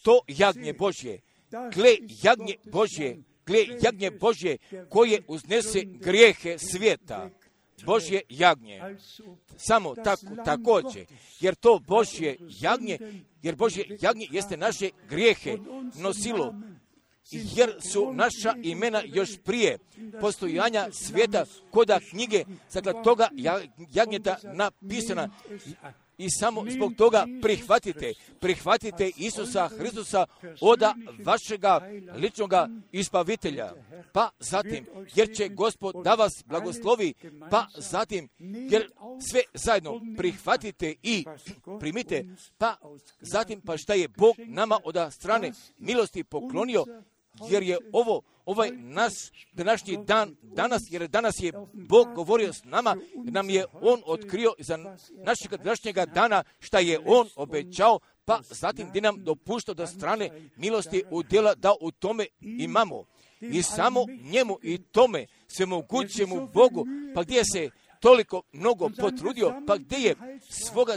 To jagnje Božje, gle jagnje Božje, gle jagnje Božje koje uznese grijehe svijeta. Božje jagnje. Samo tako, također, jer to Božje jagnje, jer Božje jagnje jeste naše grijehe nosilo, jer su naša imena još prije postojanja svijeta koda knjige, dakle toga jagnjeta napisana. I samo zbog toga prihvatite, prihvatite Isusa Hristusa od vašega ličnoga ispavitelja. Pa zatim, jer će Gospod da vas blagoslovi, pa zatim, jer sve zajedno prihvatite i primite, pa zatim, pa šta je Bog nama od strane milosti poklonio, jer je ovo ovaj naš današnji dan, danas, jer danas je Bog govorio s nama, nam je On otkrio za našeg današnjega dana šta je On obećao, pa zatim gdje nam dopuštao da strane milosti udjela da u tome imamo. I samo njemu i tome svemogućemu Bogu, pa gdje se toliko mnogo potrudio, pa gdje je svoga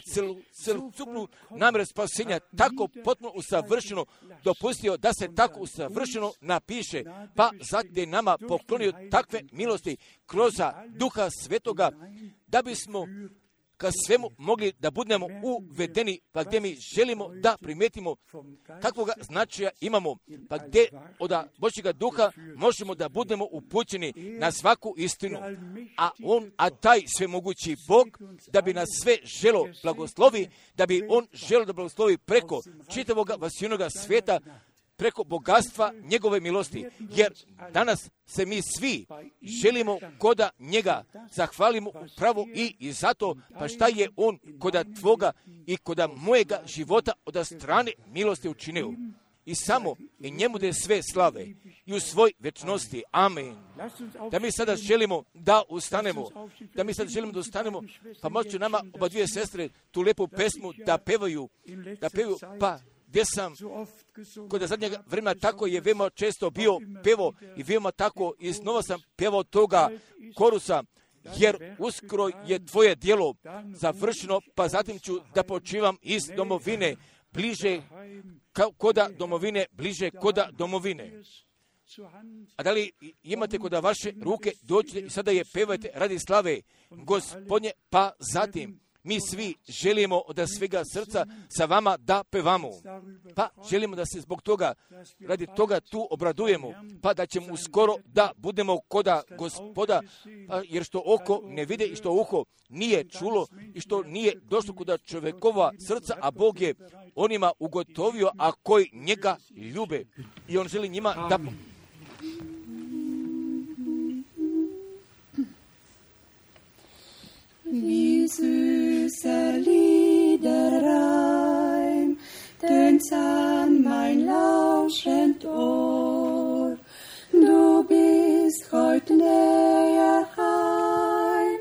celokupnu namjeru spasenja tako potpuno usavršeno dopustio da se tako usavršeno napiše, pa zatim je nama poklonio takve milosti kroz Duha Svetoga, da bismo ka svemu mogli da budemo uvedeni, pa gdje mi želimo da primetimo kakvoga značaja imamo, pa gdje od Božjega Duha možemo da budemo upućeni na svaku istinu. A on, a taj svemogući Bog, da bi nas sve želo blagoslovi, da bi on želo da blagoslovi preko čitavog vasijnoga svijeta, preko bogatstva njegove milosti, jer danas se mi svi želimo koda njega zahvalimo upravo i, i zato, pa šta je on koda tvoga i koda mojega života od strane milosti učinio. I samo i njemu da je sve slave i u svoj večnosti. Amen. Da mi sada želimo da ustanemo, da mi sada želimo da ustanemo, pa moću nama oba dvije sestre tu lijepu pesmu da pevaju, da pevaju, pa gdje sam kod zadnjeg vremena tako je veoma često bio pevo i veoma tako i znova sam pevao toga korusa, jer uskoro je tvoje djelo završeno, pa zatim ću da počivam iz domovine bliže koda domovine, bliže koda domovine. A da li imate kod vaše ruke, dođite i sada je pevajte radi slave Gospodnje, pa zatim mi svi želimo od svega srca sa vama da pevamo. Pa želimo da se zbog toga, radi toga tu obradujemo, pa da ćemo uskoro da budemo koda Gospoda, pa jer što oko ne vide i što uho nije čulo i što nije došlo kod čovjekova srca, a Bog je onima ugotovio, a koji njega ljube. I on želi njima da... Wie süßer Liederreim tönt's an mein lauschend Ohr. Du bist heut näher heim,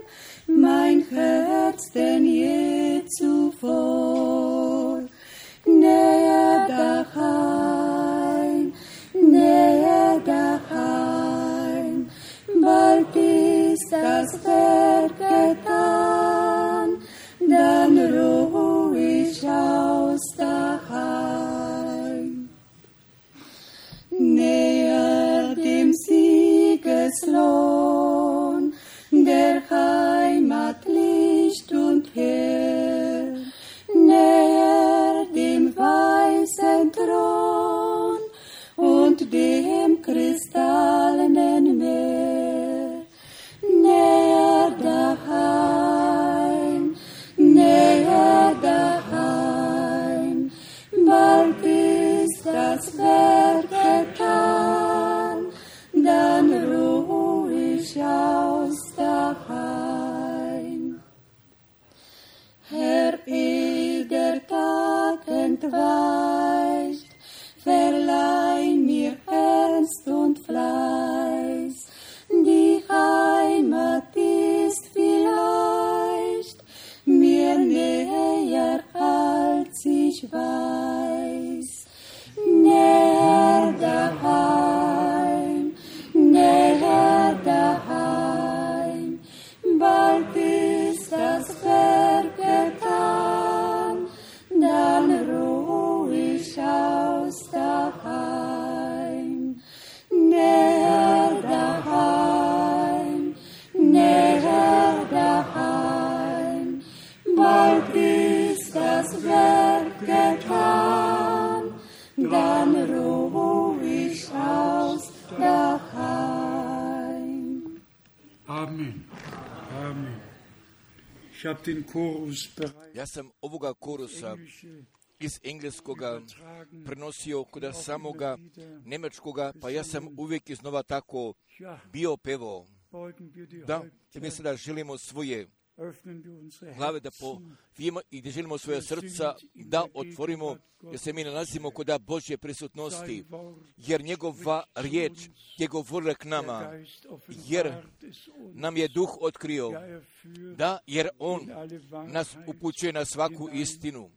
mein Herz denn je zuvor. Näher daheim, näher daheim, bald ist das Werk getan, dann ruh ich aus daheim. Näher dem Siegeslohn, der Heimat Licht und Heer, näher dem weißen Thron und dem kristallenen Meer, näher daheim, näher daheim, bald ist das Werk getan, dann ruh ich aus daheim. Herr, ehe der Tag entweicht, verleih mir Ernst und Fleiß, die Heimat ist vielleicht mir näher als ich weiß. Näher daheim, näher daheim, bald ist das Werk getan, dann ruh ich aus daheim. Näher daheim, näher daheim, bald ist das Werk getan, dann ruh ich aus daheim. Amen. Amen. Ich habe den Chorus bereits. Ja sam ovoga korusa iz engleskoga prenosio kod samoga njemačkoga, pa ja sam uvijek iznova tako bio pevao. Da, mi sada želimo svoje glave da povijemo i da želimo svoje srca da otvorimo, jer se mi nalazimo kod Božje prisutnosti, jer njegova riječ je govorila k nama, jer nam je duh otkrio, da, jer on nas upućuje na svaku istinu.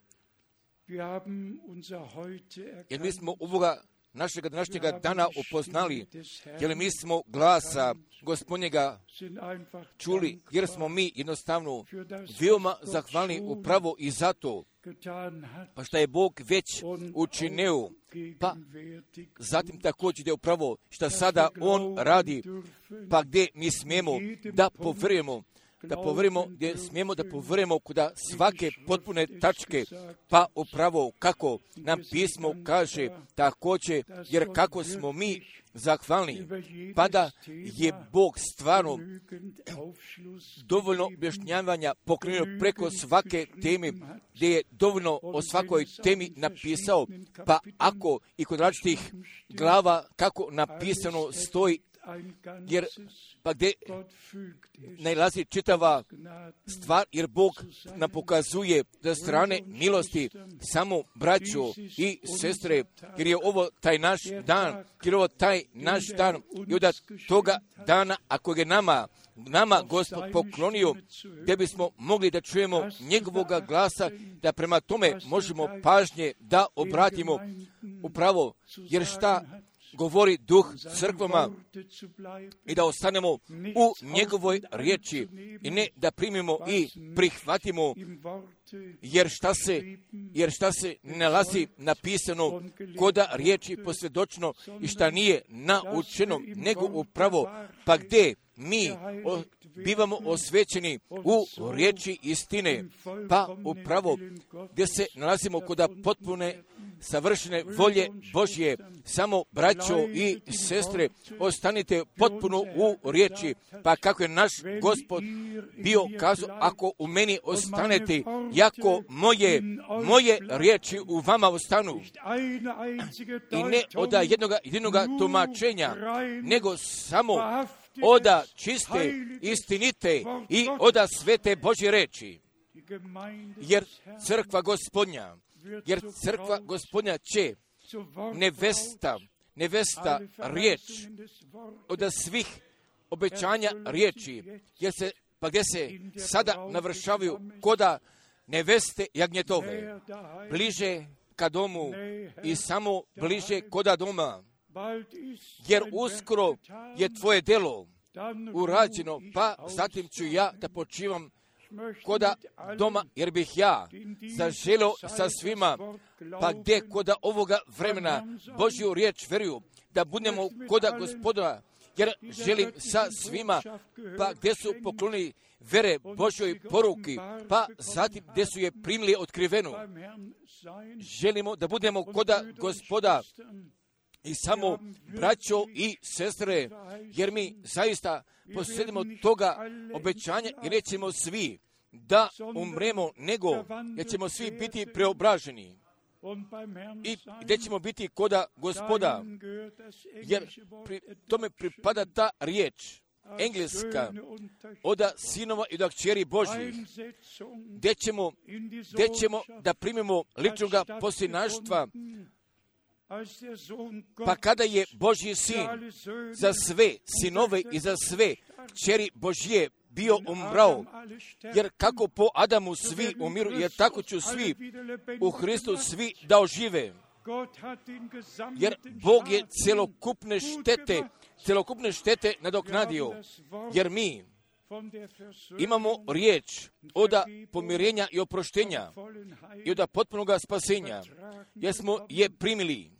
Jer mi smo ovoga našega današnjega dana upoznali, jer mi smo glasa Gospodnjega čuli, jer smo mi jednostavno veoma zahvalni upravo i zato, pa što je Bog već učinio, pa zatim također da je upravo što sada On radi, pa gdje mi smijemo da povrujemo, da povrujemo, gdje smijemo da povrujemo kuda svake potpune tačke, pa upravo kako nam pismo kaže također, jer kako smo mi zahvalni, pa da je Bog stvarno dovoljno objašnjavanja pokrenuo preko svake teme, gdje je dovoljno o svakoj temi napisao, pa ako i kod različitih glava kako napisano stoji, jer pa gdje najlazi čitava stvar, jer Bog nam pokazuje za strane milosti samo braćo i sestre, jer je ovo taj naš dan, jer je ovo taj naš dan i od toga dana, ako je nama, nama Gospod poklonio, gdje bismo mogli da čujemo njegovoga glasa, da prema tome možemo pažnje da obratimo upravo, jer šta govori duh crkvama i da ostanemo u njegovoj riječi i ne da primimo i prihvatimo jer šta se, jer šta se nalazi napisano koda riječi posvjedočno i šta nije naučeno, nego upravo, pa gdje mi o, bivamo osvećeni u riječi istine, pa upravo gdje se nalazimo koda potpune savršene volje Božje. Samo, braćo i sestre, ostanite potpuno u riječi, pa kako je naš Gospod bio kazao, ako u meni ostanete, jako moje, moje riječi u vama ostanu. I ne od jednoga jedinoga tumačenja, nego samo oda čiste, istinite i oda svete Božje reči. Jer crkva Gospodnja, jer crkva Gospodnja će nevesta, nevesta riječ od svih obećanja riječi, jer se, pa gdje se sada navršavaju koda neveste jagnjetove, bliže ka domu i samo bliže koda doma, jer uskoro je tvoje delo urađeno, pa zatim ću ja da počivam koda doma, jer bih ja zaželio sa svima, pa gdje koda ovoga vremena Božju riječ veruju, da budemo koda Gospoda, jer želim sa svima, pa gdje su poklonili vere Božjoj poruki, pa zatim gdje su je primili otkrivenu. Želimo da budemo koda Gospoda i samo braćo i sestre, jer mi zaista posjedimo toga obećanja i nećemo svi da umremo, nego jer ćemo svi biti preobraženi i gdje ćemo biti koda Gospoda, jer pri tome pripada ta riječ engleska oda sinova i od kćeri Božjih, gdje ćemo, gdje ćemo da primimo ličnoga posljednaštva, pa kada je Božji sin za sve sinove i za sve kćeri Božje bio umrao, jer kako po Adamu svi umiru, jer tako ću svi u Hristu svi da ožive. Jer Bog je celokupne štete, celokupne štete nadoknadio, jer mi imamo riječ oda pomirenja i oproštenja i oda potpunoga spasenja, jer smo je primili.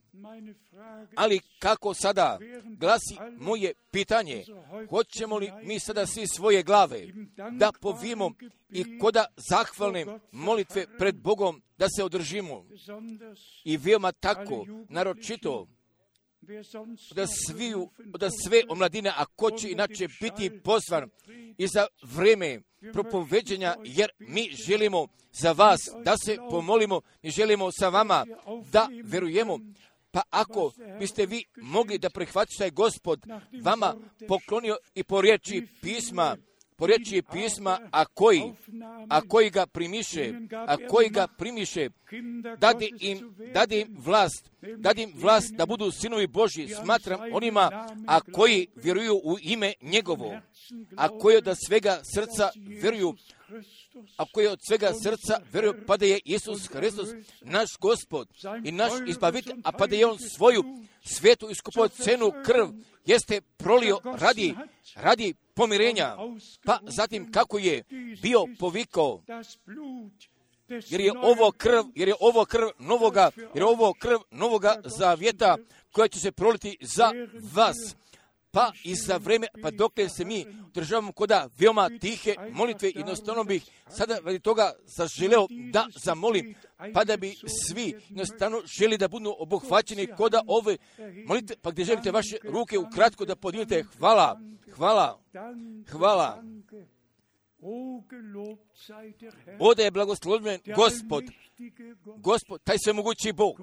Ali kako sada glasi moje pitanje, hoćemo li mi sada svi svoje glave da povijemo i koda zahvalne molitve pred Bogom da se održimo i veoma tako, naročito da, sviju, da sve omladine, a ko će inače biti pozvan i za vreme propoveđenja, jer mi želimo za vas da se pomolimo i želimo sa vama da verujemo. Pa ako biste vi mogli da prihvatite taj Gospod vama poklonio i po riječi pisma, po riječi pisma, a koji, a koji ga primiše, a koji ga primiše, dade im, dade im vlast, dade im vlast da budu sinovi Božji, smatram onima, a koji vjeruju u ime njegovo, a koji od svega srca vjeruju, a koji od svega srca vjeruju, pa da je Isus Hristos naš Gospod i naš izbavitelj, a pa da je on svoju svetu iskupo cenu krv jeste prolio radi, radi pomirenja, pa zatim kako je bio povikao, jer je ovo krv, jer je ovo krv novoga, jer je ovo krv novoga zavjeta koja će se proliti za vas. Pa i za vreme, pa dokle se mi državamo koda veoma tihe molitve, jednostavno bih sada radi toga zaželeo da zamolim, pa da bi svi jednostavno želi da budu obuhvaćeni koda ove molitve, pa gdje želite vaše ruke ukratko da podignete. Hvala, hvala, hvala. Oda je blagosloven Gospod, Gospod, taj svemogući Bog,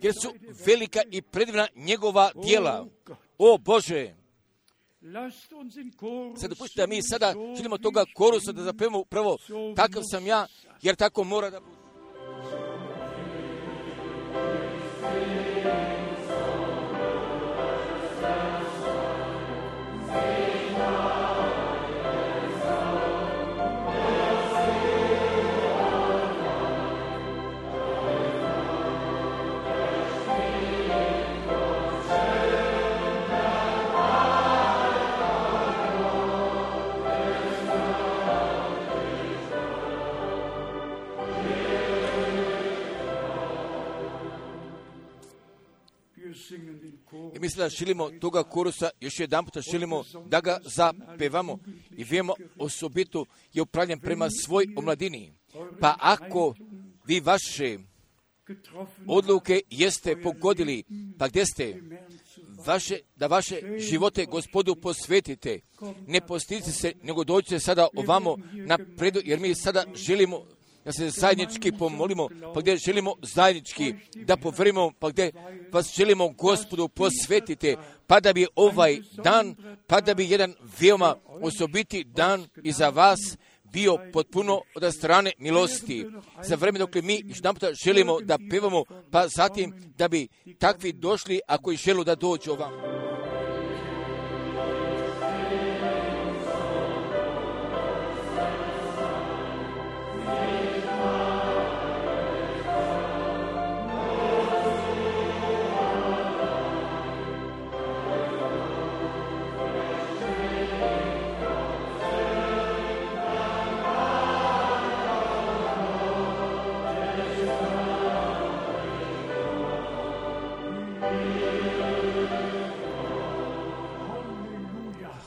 jer su velika i predivna njegova djela. O Bože, sad dopustite da mi sada želimo toga korusa da zapevamo upravo takav sam ja, jer tako mora da bude. mi sada želimo toga korusa, još jedan puta želimo da ga zapevamo i vijemo osobito je upravljen prema svoj omladini. Pa ako vi vaše odluke jeste pogodili, pa gdje ste, vaše, da vaše živote Gospodu posvetite, ne postidite se, nego dođite sada ovamo napredu, jer mi sada želimo da se zajednički pomolimo, pa gdje želimo zajednički da poverimo, pa gdje vas želimo Gospodu posvetite, pa da bi ovaj dan, pa da bi jedan veoma osobiti dan i za vas bio potpuno od strane milosti. Za vrijeme dok mi jedan puta želimo da pevamo, pa zatim da bi takvi došli ako i želu da dođu ovamo.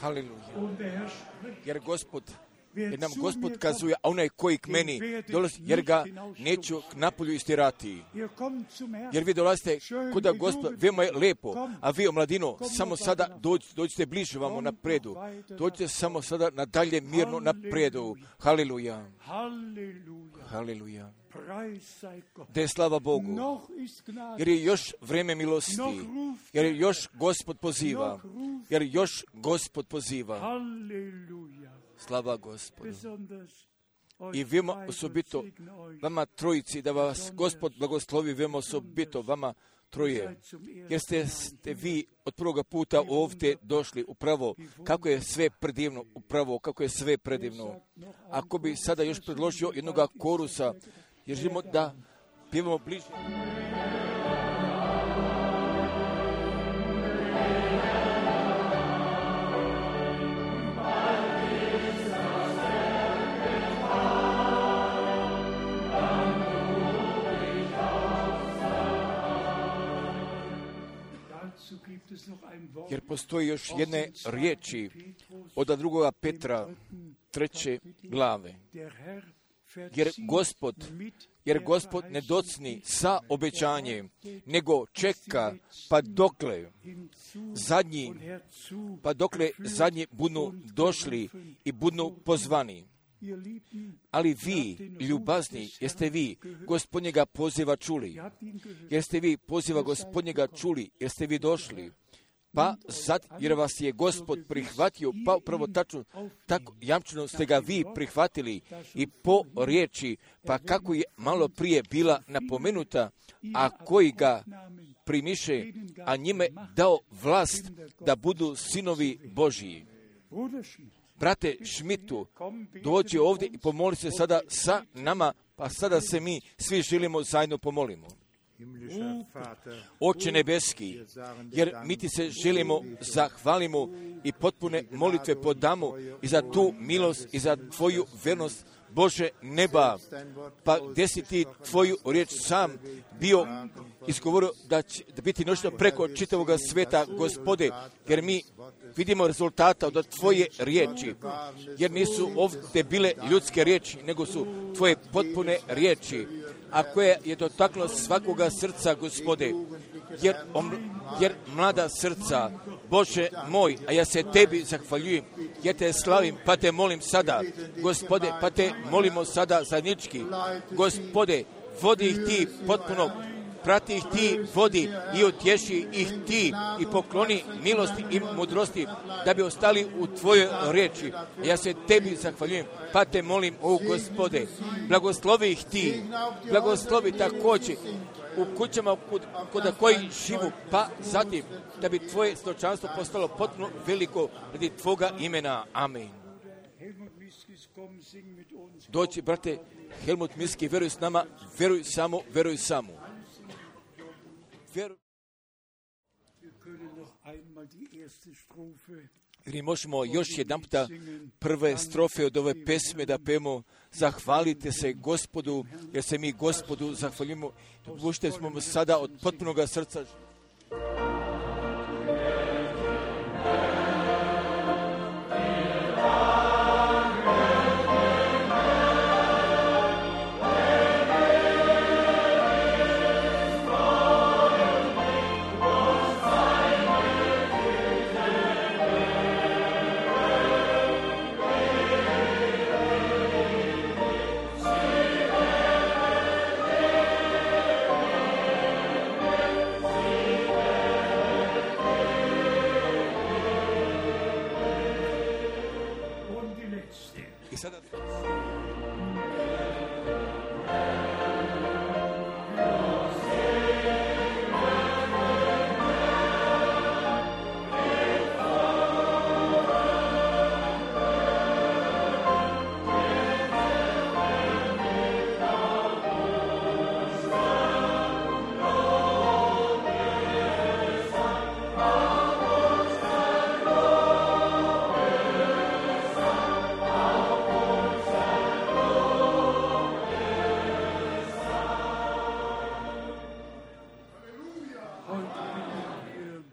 Haleluja. Jer Gospod, jer nam Gospod kazuje, a onaj koji k meni dolazi, jer ga neću k napolju istirati. Jer vi dolazite kuda Gospod, veoma je lepo, a vi, omladino, samo sada dođite, dođite bliže vamo napredu. Dođite samo sada nadalje mirno napredu. Haleluja. Haleluja. Da je slava Bogu, jer je još vrijeme milosti, jer je još Gospod poziva, jer još Gospod poziva. Slava Gospodu. I vema osobito vama trojici, da vas Gospod blagoslovi vema osobito vama troje, jer ste, ste vi od prvoga puta ovdje došli upravo, kako je sve predivno, upravo kako je sve predivno. Ako bi sada još predložio jednoga korusa, jer želimo da pjevamo bliže. Jer postoji još jedne riječi od drugoga Petra, treće glave. Jer Gospod, jer Gospod ne docni sa obećanjem, nego čeka pa dokle zadnji, pa dokle zadnji budu došli i budu pozvani. Ali vi, ljubazni, jeste vi Gospodnjega poziva čuli? Jeste vi poziva Gospodnjega čuli? Jeste vi došli? Pa sad, jer vas je Gospod prihvatio, pa upravo tačno, tako jamčeno ste ga vi prihvatili i po riječi, pa kako je malo prije bila napomenuta, a koji ga primiše, a njime dao vlast da budu sinovi Božiji. Brate Šmitu, dođi ovdje i pomoli se sada sa nama, pa sada se mi svi želimo zajedno pomolimo. Oče nebeski, jer mi ti se želimo, zahvalimo i potpune molitve podamo i za tu milost i za tvoju vernost, Bože neba, pa gdje si ti tvoju riječ sam bio izgovorio da će da biti noćno preko čitavog sveta, Gospode, jer mi vidimo rezultata od tvoje riječi, jer nisu ovdje bile ljudske riječi, nego su tvoje potpune riječi, a koje je dotaklo svakoga srca, Gospode, jer, om, jer mlada srca, Bože moj, a ja se tebi zahvaljujem, ja te slavim, pa te molim sada, Gospode, pa te molimo sada zajednički, Gospode, vodi ih ti potpuno, prati ih ti, vodi i utješi ih ti i pokloni milosti i mudrosti da bi ostali u tvojoj riječi. Ja se tebi zahvaljujem, pa te molim, o Gospode, blagoslovi ih ti, blagoslovi također u kućama kod, kod koji živu, pa zatim da bi tvoje stočanstvo postalo potpuno veliko radi tvoga imena. Amen. Doći, brate, Helmut Miski, veruj s nama, veruj samo, veruj samo. Veruj. Mi možemo još jedan puta prve strofe od ove pesme da pemo. Zahvalite se Gospodu, jer se mi Gospodu zahvaljujemo. Dopušte smo mu sada od potpunoga srca. I sada...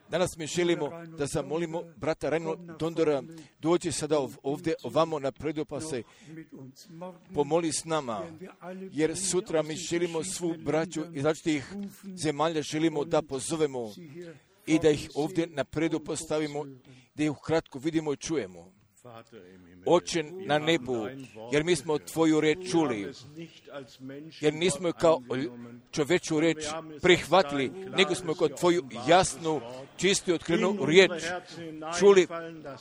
Danas mi želimo da zamolimo brata Reinhold Dondora, dođi sada ovdje ovamo napredu pa se pomoli s nama, jer sutra mi želimo svu braću iz različitih zemalja želimo da pozovemo i da ih ovdje napredu postavimo, da ih ukratko vidimo i čujemo. Oče na nebu, jer mi smo tvoju reč čuli, jer nismo je kao čoveču reč prihvatili, nego smo kao tvoju jasnu, čistu i otkrivenu riječ čuli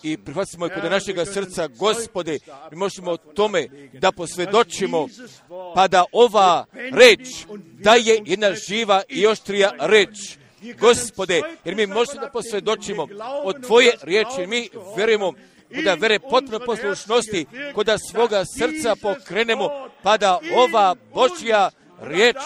i prihvatili smo je kod našega srca. Gospode, mi možemo o tome da posvjedočimo, pa da ova reč da je jedna živa i oštrija reč. Gospode, jer mi možemo da posvjedočimo od tvoje riječi, jer mi verujemo da vere potpuno poslušnosti, kada svoga srca pokrenemo, pa da ova Božja riječ,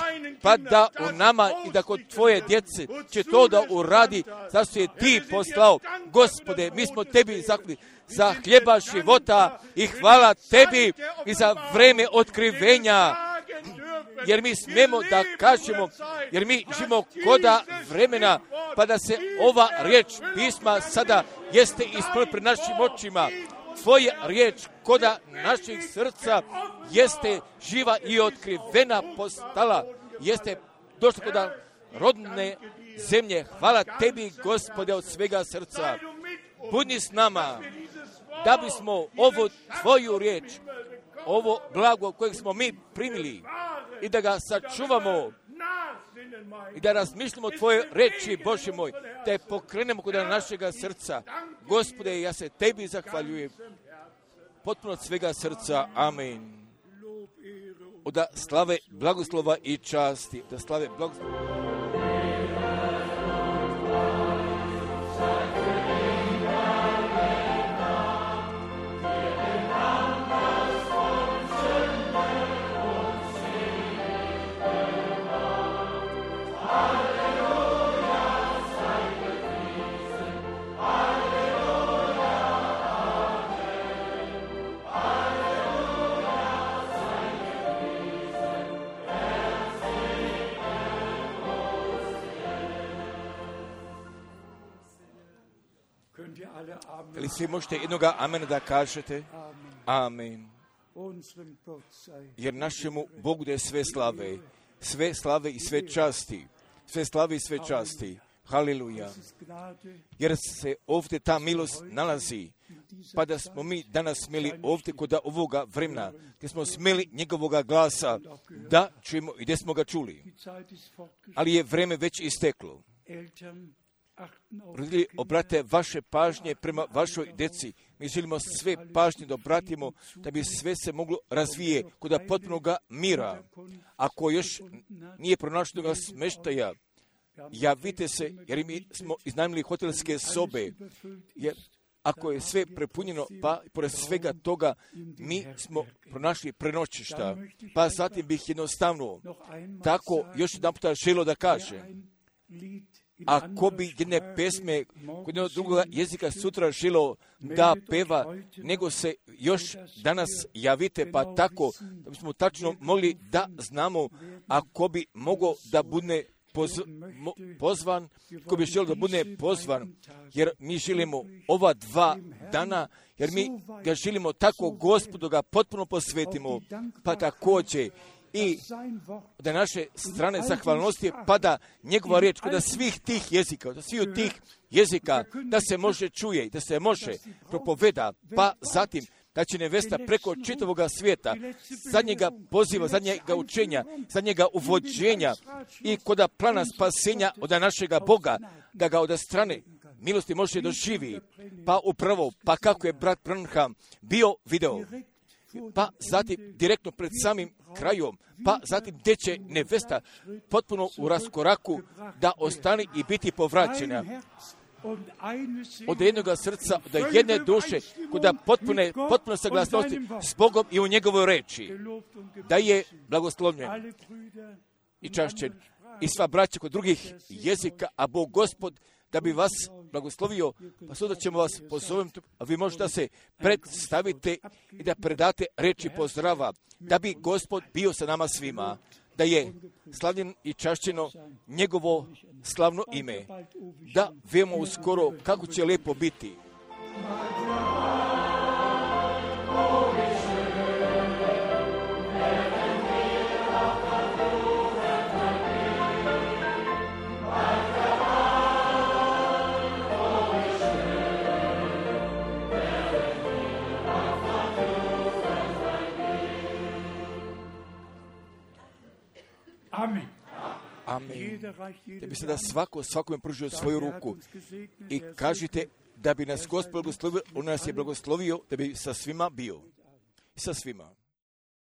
pa da u nama i da kod tvoje djece će to da uradi, zašto je ti poslao. Gospode, mi smo tebi zahvalni za hljeba života i hvala tebi i za vreme otkrivenja, jer mi smemo da kažemo, jer mi živimo koda vremena, pa da se ova riječ pisma sada jeste ispunila pred našim očima. Tvoja riječ koda naših srca jeste živa i otkrivena postala, jeste došla koda rodne zemlje. Hvala tebi, Gospode, od svega srca. Budi s nama, da bismo ovu tvoju riječ, ovo blago kojeg smo mi primili, i da ga sačuvamo i da razmišljamo o tvoje reči, Bože moj, da je pokrenemo kod našega srca. Gospode, ja se tebi zahvaljujem potpuno od svega srca. Amen. Da slave blagoslova i časti, da slave blagoslova. Ali svi možete jednoga amena da kažete? Amen. Jer našemu Bogu da je sve slave, sve slave i sve časti, sve slave i sve časti. Haleluja. Jer se ovdje ta milost nalazi, pa da smo mi danas smjeli ovdje kod ovoga vremena, gdje smo smjeli njegovoga glasa, da čujemo i gdje smo ga čuli. Ali je vreme već isteklo. Roditelji, obrate vaše pažnje prema vašoj djeci. Mi želimo sve pažnje da obratimo, da bi sve se moglo razvije kod potpunoga mira. Ako još nije pronašljenoga smeštaja, javite se, jer mi smo iznajmili hotelske sobe, jer ako je sve prepunjeno, pa pored svega toga mi smo pronašli prenoćišta. Pa zatim bih jednostavno tako još jedan puta želio da kažem, ako bi jedne pesme kod jednog drugog jezika sutra želo da peva, nego se još danas javite, pa tako da bismo tačno mogli da znamo, ako bi mogo da bude poz, mo, pozvan, ko bi želio da bude pozvan, jer mi želimo ova dva dana, jer mi ga želimo tako Gospodu ga potpuno posvetimo, pa također i da naše strane zahvalnosti pada njegova riječ kod svih tih jezika, kod svih tih jezika, da se može čuje, da se može propoveda, pa zatim da će nevesta preko čitavoga svijeta, zadnjega poziva, zadnjega učenja, zadnjega uvođenja i kod plana spasenja od našega Boga, da ga od strane milosti može doživi. Pa upravo, pa kako je brat Branham bio video, pa zatim direktno pred samim krajom, pa zatim gdje će nevesta potpuno u raskoraku da ostane i biti povraćena. Od jednoga srca, od jedne duše, kuda potpune, potpuno saglasnosti s Bogom i u njegovoj reči, da je blagoslovljen i čašćen. I sva braća kod drugih jezika, a Bog Gospod, da bi vas blagoslovio, pa sutra ćemo vas pozoviti, a vi možete da se predstavite i da predate reči pozdrava, da bi Gospod bio sa nama svima, da je slavljen i čašćeno njegovo slavno ime, da vemo uskoro kako će lijepo biti. Amen. Amen. Da bi se da svako svakome pružio svoju ruku i kažite da bi nas Gospod blagoslovio, on nas je blagoslovio da bi sa svima bio. I sa svima.